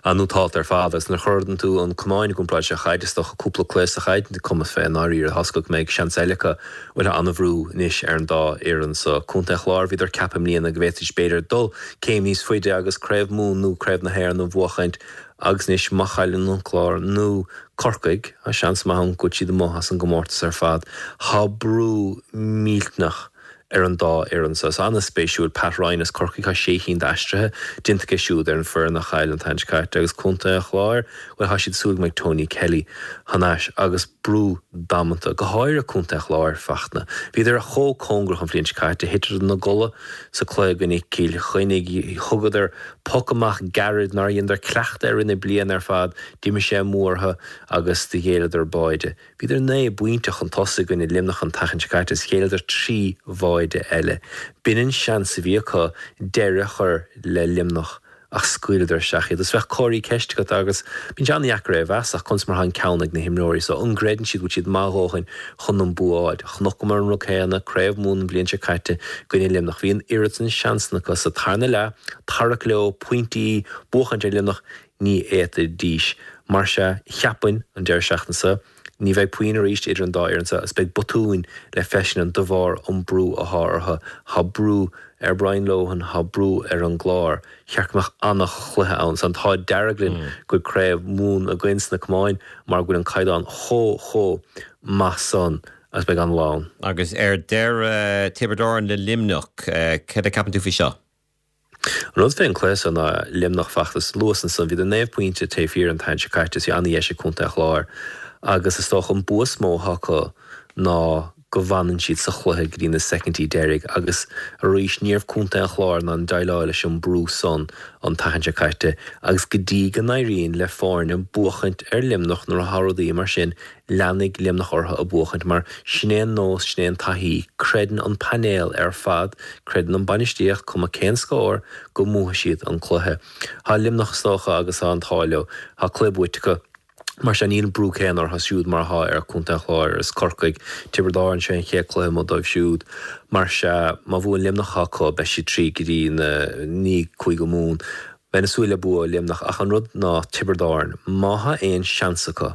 An-nótálta ar fad agus nuair a chuireann tú an camán i gcomparáid sa chaid, is dócha cúpla cluiche sa chaid, cuma fé i ndáiríre, tá a fhios agat go mbeidh seans eile acu. Bhuel, tá an-bhrú anois ar an dá fhoireann so. Contae an Chláir, bhíodar ag ceapadh i mbliana go bhféadfaidís b'fhéidir dul céim níos faide agus Craobh Mumhan nó Craobh na hÉireann a bhuachaint agus anois má chailleann an Clár nó Corcaigh, tá seans maith ann go bhfuil siad amuigh as an gcomórtas ar fad. Tá brú millteanach ar an dá fhoireann so. Is an-spéisiúil Pat Ryan as Corcaigh, tá sé chinn d'aistrithe déanta aige siúd ar an foireann a chaill an tseachtain seo caite agus Contae an Chláir, bhuel tá siad ag súil go mbeidh Tony Kelly thar n-ais agus brú damanta, go háirithe Contae an Chláir, Fachtna. Bhíodar chomh cóngarach an bhliain seo caite, thiteadar ina gcodladh sa cluiche i gcoinne Cill Chainnigh, thugadar poc amach gairid nár dheineadar cleachtadh air i rith na bliana ar fad, d'imigh sé amú orthu agus do ghéilleadar báide. Bhíodar naoi bpointe chun tosaigh i gcoinne Luimneach an tseachtain seo caite is ghéilleadar trí bháide eile. B'in an seans a bhí acu deireadh a chur le Luimneach ach scaoileadar isteach iad. Is bheadh comharthaí ceiste agat agus bíonn sé an-dheacair é a mheas ach conas mar atá an ceann ag na himreoirí so an gcreideann siad go bhfuil siad maith a dhóthain chun an bua a fháil. Chonaiceamar an rud céanna, Craobh Mumhan an bhliain seo caite i gcoinne Luimneach. Bhí an oiread san seansanna acu sa tarna leath, tarrac leo, pointí, buachaint ar Luimneach, ní fhéadfaidís. Mar sea, cheapfainn, an deireadh seachtaine seo, ní bheidh puinn arís idir an dá fhoireann seo agus beidh botúin le feiscint ann de bharr an brú athá orthu. Thá brú ar Brian Lohan, thá brú ar an gClár. Cheart go mbeadh an-chluiche ann. Is an t-ádh dearg linn go bhfuil Craobh Mumhan againn sna camáin mar go bhfuil an caighdeán chomh, chomh maith san agus beidh an-lá ann. Agus ar deireadh, Tiobraid Árann le Luimneach, céard a cheapann tú faoi seo? An rud fén cluiche seo ná Luimneach Fachtna luas ansan. Bhíodar naoi bpointe taobh thiar an tseachtain seo caite is bhí ana-dheis ag Contae an Chláir agus is dócha an bua is mó atá acu ná go bhfanann siad sa chluiche go dtí na soicindí deiridh agus arís ní raibh Contae an Chláir in ann déileáil leis an brú san an tseachtain seo caite agus go dtí go n-éiríonn le foirne buachaint ar Luimneach nuair atá rudaí mar sin Leanfaidh Luimneach orthu ag buachaint mar sin é an nós, sin é an taithí. Creideann an painéal ar fad, creideann an bainistíocht, cuma cén scór, go mbuafaidh siad an cluiche. Tá Luimneach is dócha agus tá an t-ádh leo. Tá cluiche buaite acu. Mar sin níl an brú céanna orthu siúd mar atá ar Chontae an Chláir agus Corcaigh. Tiobraid Árann, seo an chéad cluiche amuigh dóibh siúd. Mar sea, má bhuann Luimneach acu, beidh siad tríd go dtí na, ní Cúige Mumhan. Bheinn ag súil le bua ó Luimneach ach an rud ná Tiobraid Árann, má tá aon seans acu,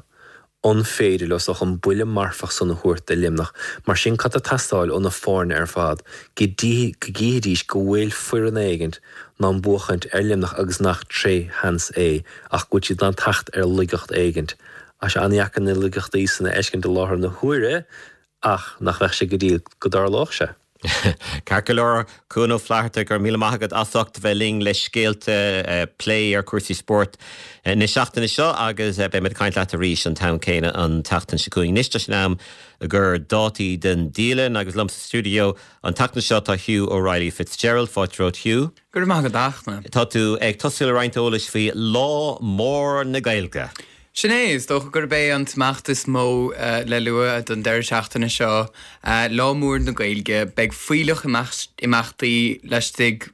An féidir leo is dócha an buille marfach san a thabhairt do Luimneach? Mar sin cad tá ag teastáil ó na foirne ar fad? Go gcífidís go bhfuil foireann éigint in ann buachaint ar Luimneach agus nach tré sheans é ach go bhfuil siad in ann teacht ar laigeacht éigint. Tá sé an-dheacair na laigeachtaí san a fheiscint i láthair na huaire ach nach mbeadh sé go diail go dtarlódh sé? Ceart go leor, Cuan Ó Flatharta, go raibh míle maith agat as ucht bheith linn le scéalta, plé ar chúrsaí spóirt na seachtaine seo agus beidh muid ag caint leat arís an t-am céanna an tseachtain seo chugainn. Anois tá sé in am i gcomhair dátaí den dialann agus liom sa stiúideo an tseachtain seo tá Hugh O'Reilly Fitzgerald. Fáilte romhat Hugh. Go raibh maith agat a Fhachtna. Tá tú ag tosú le roinnt eolais faoi Lá Mór na Gaeilge. Sin é, is dócha gurb é an t-imeacht is mó le lua don deireadh seachtaine seo, Lá Mór na Gaeilge. Beidh fuílleach imeachtaí laistigh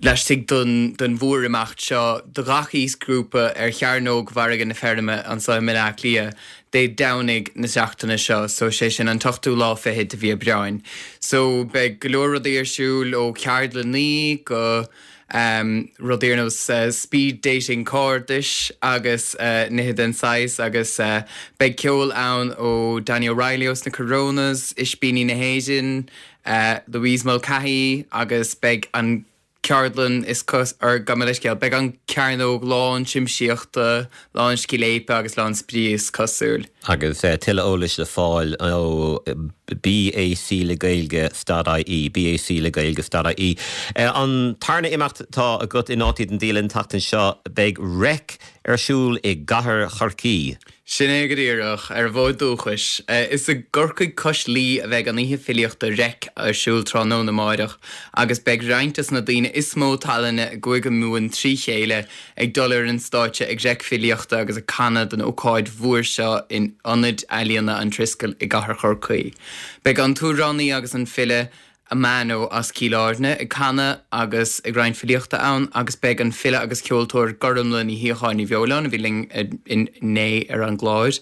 laistigh den den mhórimeacht seo do gach aoisghrúpa ar Chearnóg Mhargadh na Feirme anseo i mBaile Átha Cliath Dé Domhnaigh na seachtaine seo, so sé sin an t-ochtú lá fichead de mhí Aibreáin. So beidh go leor rudaí ar siúl ó cheardlanna go um, rudaí ar nós uh, speed dating cairdis agus uh, nithe den saghas agus uh, beidh ceol ann ó Danny O'Reilly os na Coronas, Ispíní na hÉireann, uh, Louise Mulcahy agus beidh an ceardlann is cos ar go leiscéal, beidh an cearnóg lán siamsaíochta, lán scléipe agus lán spraoi is cosúil. Agus uh, tuilleadh eolais le fáil ó BAC le Gaeilge stad IE, BAC le Gaeilge stad IE. Uh, an tarna imeacht atá agat i nótaí den dialann an tseachtain seo beidh Reic ar siúl i gcathair Chorcaí. Sin é go díreach ar an bhfód dúchais. Is i gCorcaigh cois Laoi a bheidh an oíche filíochta Reic ar siúl tráthnóna amárach, agus beidh roinnt de na daoine is mó tallainne i gCúige Mumhan trí chéile ag dul ar an stáitse ag reic filíochta agus ag canadh don ócáid mhór seo in Ionad Ealaíona an Triskel i gcathair Chorcaí. Beidh an t-amhránaí agus an file Amano as Cill Airne ag canadh agus ag roinnt filíochta ann agus beidh an file agus ceoltóir Gormlaith Ní Shíocháin Ní Bheoláin a bhí linn inné ar an gclár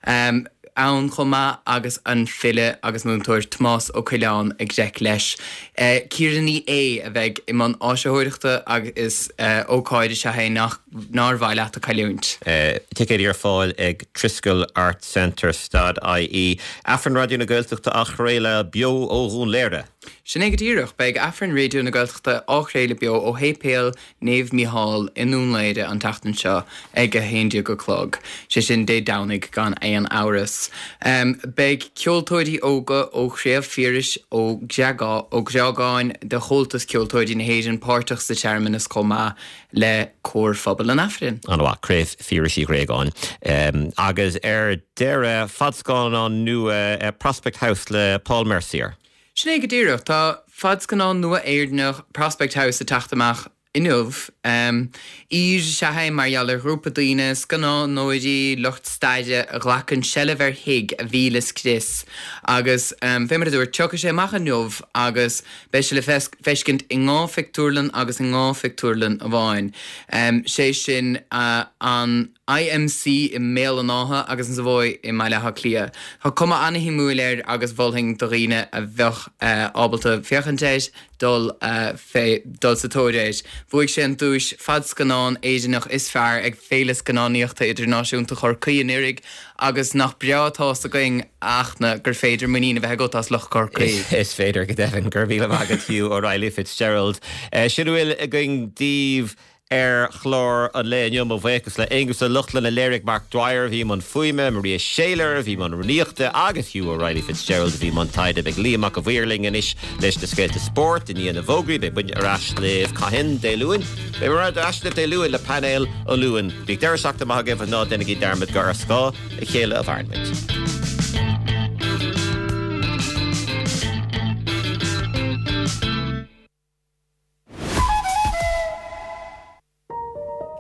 um, ann chomh maith agus an file agus múinteoir Tomás Ó Coileáin ag reic leis. Uh, Ciara Ní É a bheidh i mbun áisitheoireachta agus is uh, ócáid is ea é nach nár mhaith leat a chailliúint. Uh, Ticéid ar fáil ag Triskel Arts Centre stad IE. Aifreann Raidió na Gaeltachta á chraoladh beo ó Dhún Laoghaire. Sin é go díreach beidh Aifreann Raidió na Gaeltachta á chraoladh beo ó Shéipéal Naomh Mícheál i nDún Laoghaire an tseachtain seo ag a haon déag a chlog. Sé sin Dé Domhnaigh gan aon amhras. Um, beidh ceoltóirí óga ó Chraobh Phiarais Ó Ó Greagáin de Chomhaltas Ceoltóirí na hÉireann páirteach sa searmanas chomh maith le cór phobal an Aifrinn. An-mhaith Craobh Phiarais Uí Ghréagáin. Um, agus ar deireadh fadscannán nua uh, Prospect House le Paul Mercier. Sin é go díreach tá fadscannán nua Éireannach Prospect House ag teacht amach inniu. Um, Ír se mar gheall ar ghrúpa daoine scannánóirí lucht staire a ghlacann seilbh ar thigh a bhí le scrios agus um, fé mar a dúirt tiocfaidh sé amach inniu agus beidh sé le feiscint i dhá phictiúrlann agus i dhá phictiúrlann amháin. Um, sé sin uh, an IMC i mBéal an Átha agus an Savoy i mBaile Átha Cliath. Tá cuma an-shuimiúil air agus mholfainn do dhaoine a bheadh uh, ábalta féachaint air dul uh, fé dul sa tóir air. Bhuaigh sé an duais fadscannán Éireannach is fearr ag Féile Scannánaíochta Idirnáisiúnta Chorcaí anuraidh agus nach breá tá againn ach na gur féidir muinín a bheith agat as lucht Chorcaí. Is féidir go deimhin gur mhíle maith agat Hugh O'Reilly Fitzgerald. Uh, sin a bhfuil againn daoibh ar chlár an lae inniu mo bhuíochas le Aonghus Ó Lochlainn a léirigh Mark Dwyer bhí an fuaime, Maria Shaler bhí an rúnaíochta agus Hugh O'Reilly Fitzgerald bhí an taighde beidh Liam Mac a bhíling anois leis na scéalta spóirt i ndiaidh na bhfógraí beidh muid ar ais libh cathain Dé Luain. Beidh ar ais libh Dé Luain le painéal an Luain. Bíodh deireadh seachtaine maith agaibh ná déanaigí dearmad gur ar scáth a chéile a mhaireann muid.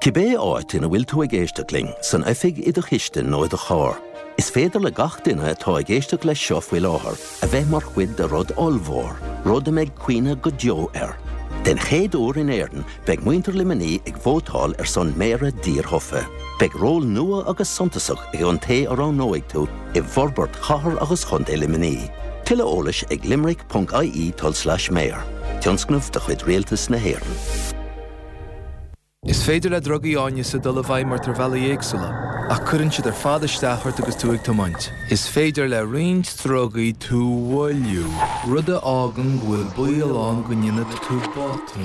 Cibé áit ina bhfuil tú ag éisteacht linn, san oifig i do chistin nó i do charr. Is féidir le gach duine atá ag éisteacht leis seo faoi láthair a bheith mar chuid de rud ollmhór, rud a mbeidh cuimhne go deo air. Den chéad uair in Éirinn beidh muintir Luimnigh ag vótáil ar son méara dírthofa. Beidh ról nua agus suntasach ag an té a roghnóidh tú i bhforbairt chathair agus chontae Luimnigh. Tuilleadh eolais ag limerick.ie tulslais mayor. Tionscnamh de chuid Rialtas na hÉireann. Is féidir le drugaí áineasa dul i bhfeidhm ort ar bhealaí éagsúla, ach cuireann siad ar fad isteach ort agus tú ag tiomáint. Is féidir le roinnt drugaí tú a mhoilliú, rud a fhágann go bhfuil baol ann go ndéanfaidh tú botún.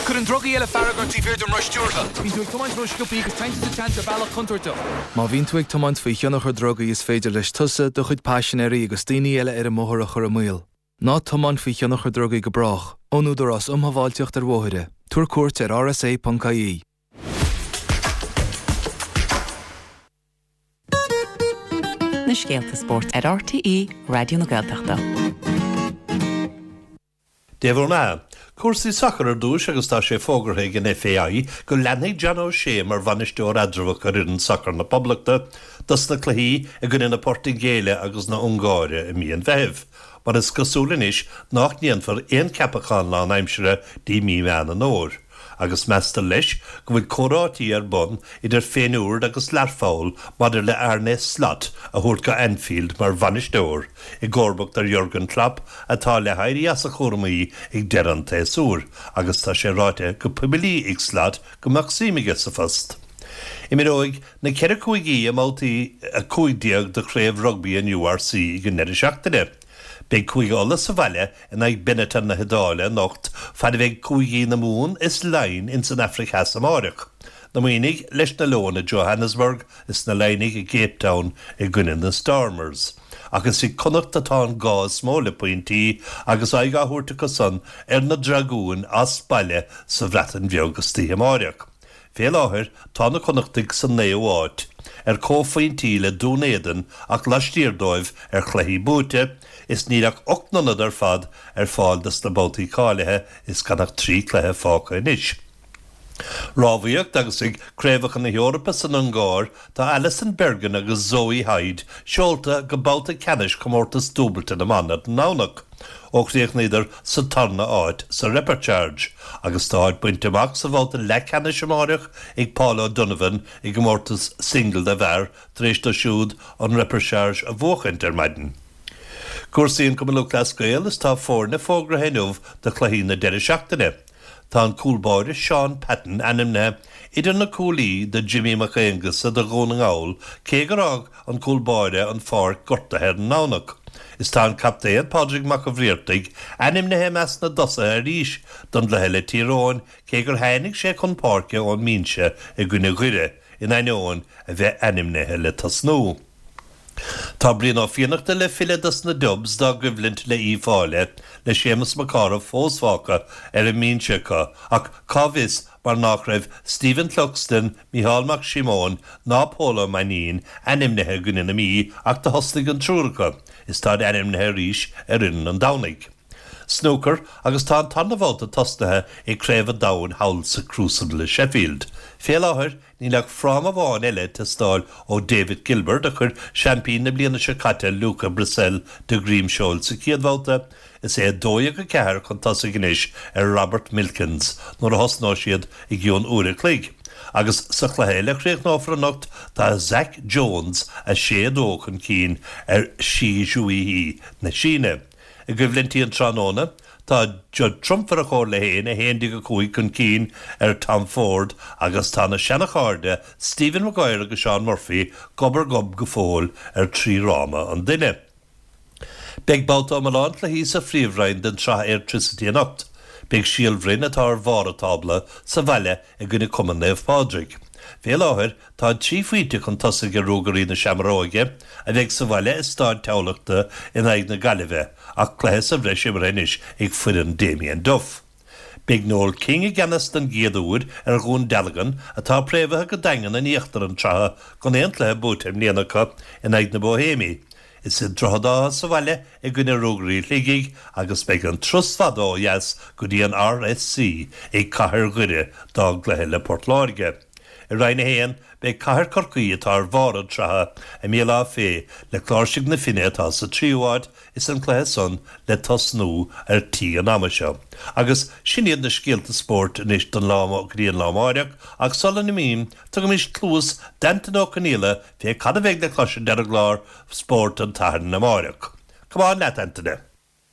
Cuireann drugaí eile fearg ort taobh thiar den roth stiúrtha. Bíonn tú ag tiomáint ró-sciobtha agus téann tú sa tseans ar bhealach contúirteach. Má bhíonn tú ag tiomáint faoi thionchar drugaí is féidir leis tusa do chuid paisinéirí agus daoine eile ar an mbóthar a chur i mbaol. Ná tiomáin faoi thionchar drugaí go brách, ón Údarás um Shábháilteacht ar Bhóithre. Tabhair cuairt ar rsa.ie. Na scéalta spóirt ar RTÉ Raidió na Gaeltachta. Dia bhur mbeatha. Cúrsaí sacair ar dtús agus tá sé fógartha ag an FAI go leanfaidh John O'Shea mar bhainisteoir eatramhach ar fhoireann sacair na Poblachta dos na cluichí i gcoinne na Portaingéile agus na hUngáire i mí an Mheithimh. Mar is cosúil anois nach ndéanfar aon cheapachán lánaimseartha dtí mí Mheán an Fhómhair. agus meastar leis go bhfuil comhráití ar bun idir Feyenoord agus Learpholl maidir le Arne Slot a thabhairt go Anfield mar bhainisteoir, i gcomharbacht ar Jurgen Klopp atá le héirí as a chúraimí ag deireadh an tséasúir, agus tá sé ráite go poiblí ag Slot go mbeadh suim aige sa phost. Imreoidh na ceithre cúigí i mbabhtaí a cúig déag de chraobh rugbaí an URC ag an ndeireadh seachtaine. Beidh Cúige Uladh sa bhaile in aghaidh Benetton na hIodáile anocht fad a bheidh Cúigí na Mumhan is Laighin ins an Afraic Theas amáireach. Na Muimhnigh leis na Leoin i Johannesburg is na Laighnigh i gCape Town i gcoinne na Stormers. Ach is ag Connacht atá an gá is mó le pointí agus aghaidh á thabhairt acusan ar na Dragúin as baile sa Bhreatain Bheag istoíche amáireach. Fé láthair tá na Connachtaigh sa naoú háit, ar comhphointí le Dún Éideann ach laistiar dóibh ar chluichí buaite, is níl ach ocht n-ionad ar fad ar fáil dos na babhtaí cáilithe is gan ach trí chluiche fágtha anois. Rámhaíocht agus ag Craobhacha na hEorpa san Ungáir tá Alison Bergin agus Zoe Hyde seolta go babhta ceannais comórtas dúbailte na mban ar an nDomhnach. Ó chríochnaíodar sa tarna áit sa repechage, agus tá áit bainte amach sa bhabhta leathcheannais amáireach ag Paul O'Donovan i gcomórtas single na bhfear tar éis dó siúd an repechage a bhuachaint ar maidin. Cúrsaí an Cumann Lúthchleas Gael is tá foirne fógartha inniu do chluichí na deireadh seachtaine. Tá an cúl báire Shaun Patton ainmnithe idir na cúlaí do Jimmy Mac Aonghusa do Dhún na nGall cé gur fhág an cúl báire an pháirc gortaithe ar an nDomhnach. Is tá an captaen Pádraig Mac an Bhriartaigh ainmnithe i measc na dtosaithe arís don gcluiche le Tír Eoghain cé gur tháinig sé chun páirce ón mbinse i gcoinne Dhoire in ainneoin a bheith ainmnithe le tosnú. Tá Brian Ó Fiannachta le filleadh dos na Dubs dá gcoimhlint le Uíbh Fhailí, le Séamus Mac Cárthaigh fós fágtha ar an mbinse acu ach cá bhfios mar nach raibh Stephen Cluxton, Micheál Mac Síomóin ná Pól Ó Mainnín ainmnithe i gcoinne na Mí ach do thosnaigh an triúr acu is táid ainmnithe arís ar fhoireann an Domhnaigh. Snúcar agus tá an tarna babhta tosnaithe ag Craobh an Domhain thall sa Crucible i Sheffield. Fé láthair níl ach fráma amháin eile ag teastáil ó David Gilbert a chuir seaimpín na bliana seo caite Luca Brecel de dhroim seoil sa chéad bhabhta. Is é a dó dhéag a ceathair chun tosaigh anois ar Robert Milkins nuair a thosnóidh siad i gcionn uair a chloig. Agus sa chluiche eile a chríochnófar anocht tá Zak Jones a sé a dó chun cinn ar Shi Zhongyi na Síne. I gcoimhlintí an tráthnóna, tá Judd Trump ar a chomhairle féin, a haon déag a cúig chun cinn ar Tom Ford agus tá na seanachairde Stephen Maguire agus Shaun Murphy gob ar ghob go fóill ar trí fhráma an duine. Beidh babhta iomlán cluichí sa Phríomhroinn den tSraith Airtricity anocht. Beidh Síol Bhroin, atá ar bharr an tábla, sa bhaile i gcoinne Cumann Naomh Pádraig. Fé láthair, táid trí phointe chun tosaigh ar Ruagairí na Seamróige, a bheidh sa bhaile i Staid Thamhlachta in aghaidh na Gaillimhe, ach cluiche sa bhreis imeartha anois ag foireann Damien Duff. Beidh Noel King i gceannas den gcéad uair ar Dhún Dealgan, atá préamhaithe go daingean in íochtar an tsraithe gan aon chluiche buaite i mbliana acu, in aghaidh na Boihéimí. Is iad Droichead Átha sa bhaile i gcoinne Ruagairí Shligigh agus beidh an turas fada ó dheas go dtí an RSC ag Cathair Dhoire dá gcluiche le Port Láirge. I Roinn a haon, beidh Cathair Chorcaí atá ar bharr an tsraithe i mBéal Átha Féith le Cláirsigh na Finne atá sa tríú háit is an cluiche san le tosnú ar tí an ama seo. Agus sin iad na scéalta spóirt anois don lá go dtí an lá amáireach ach sula n-imím, tugaimis cluas d'Antaine Ó Conghaile fé cad a bheidh le cloisint ar an gclár spóirt an tSathairn amáireach. Come on leat, Antaine!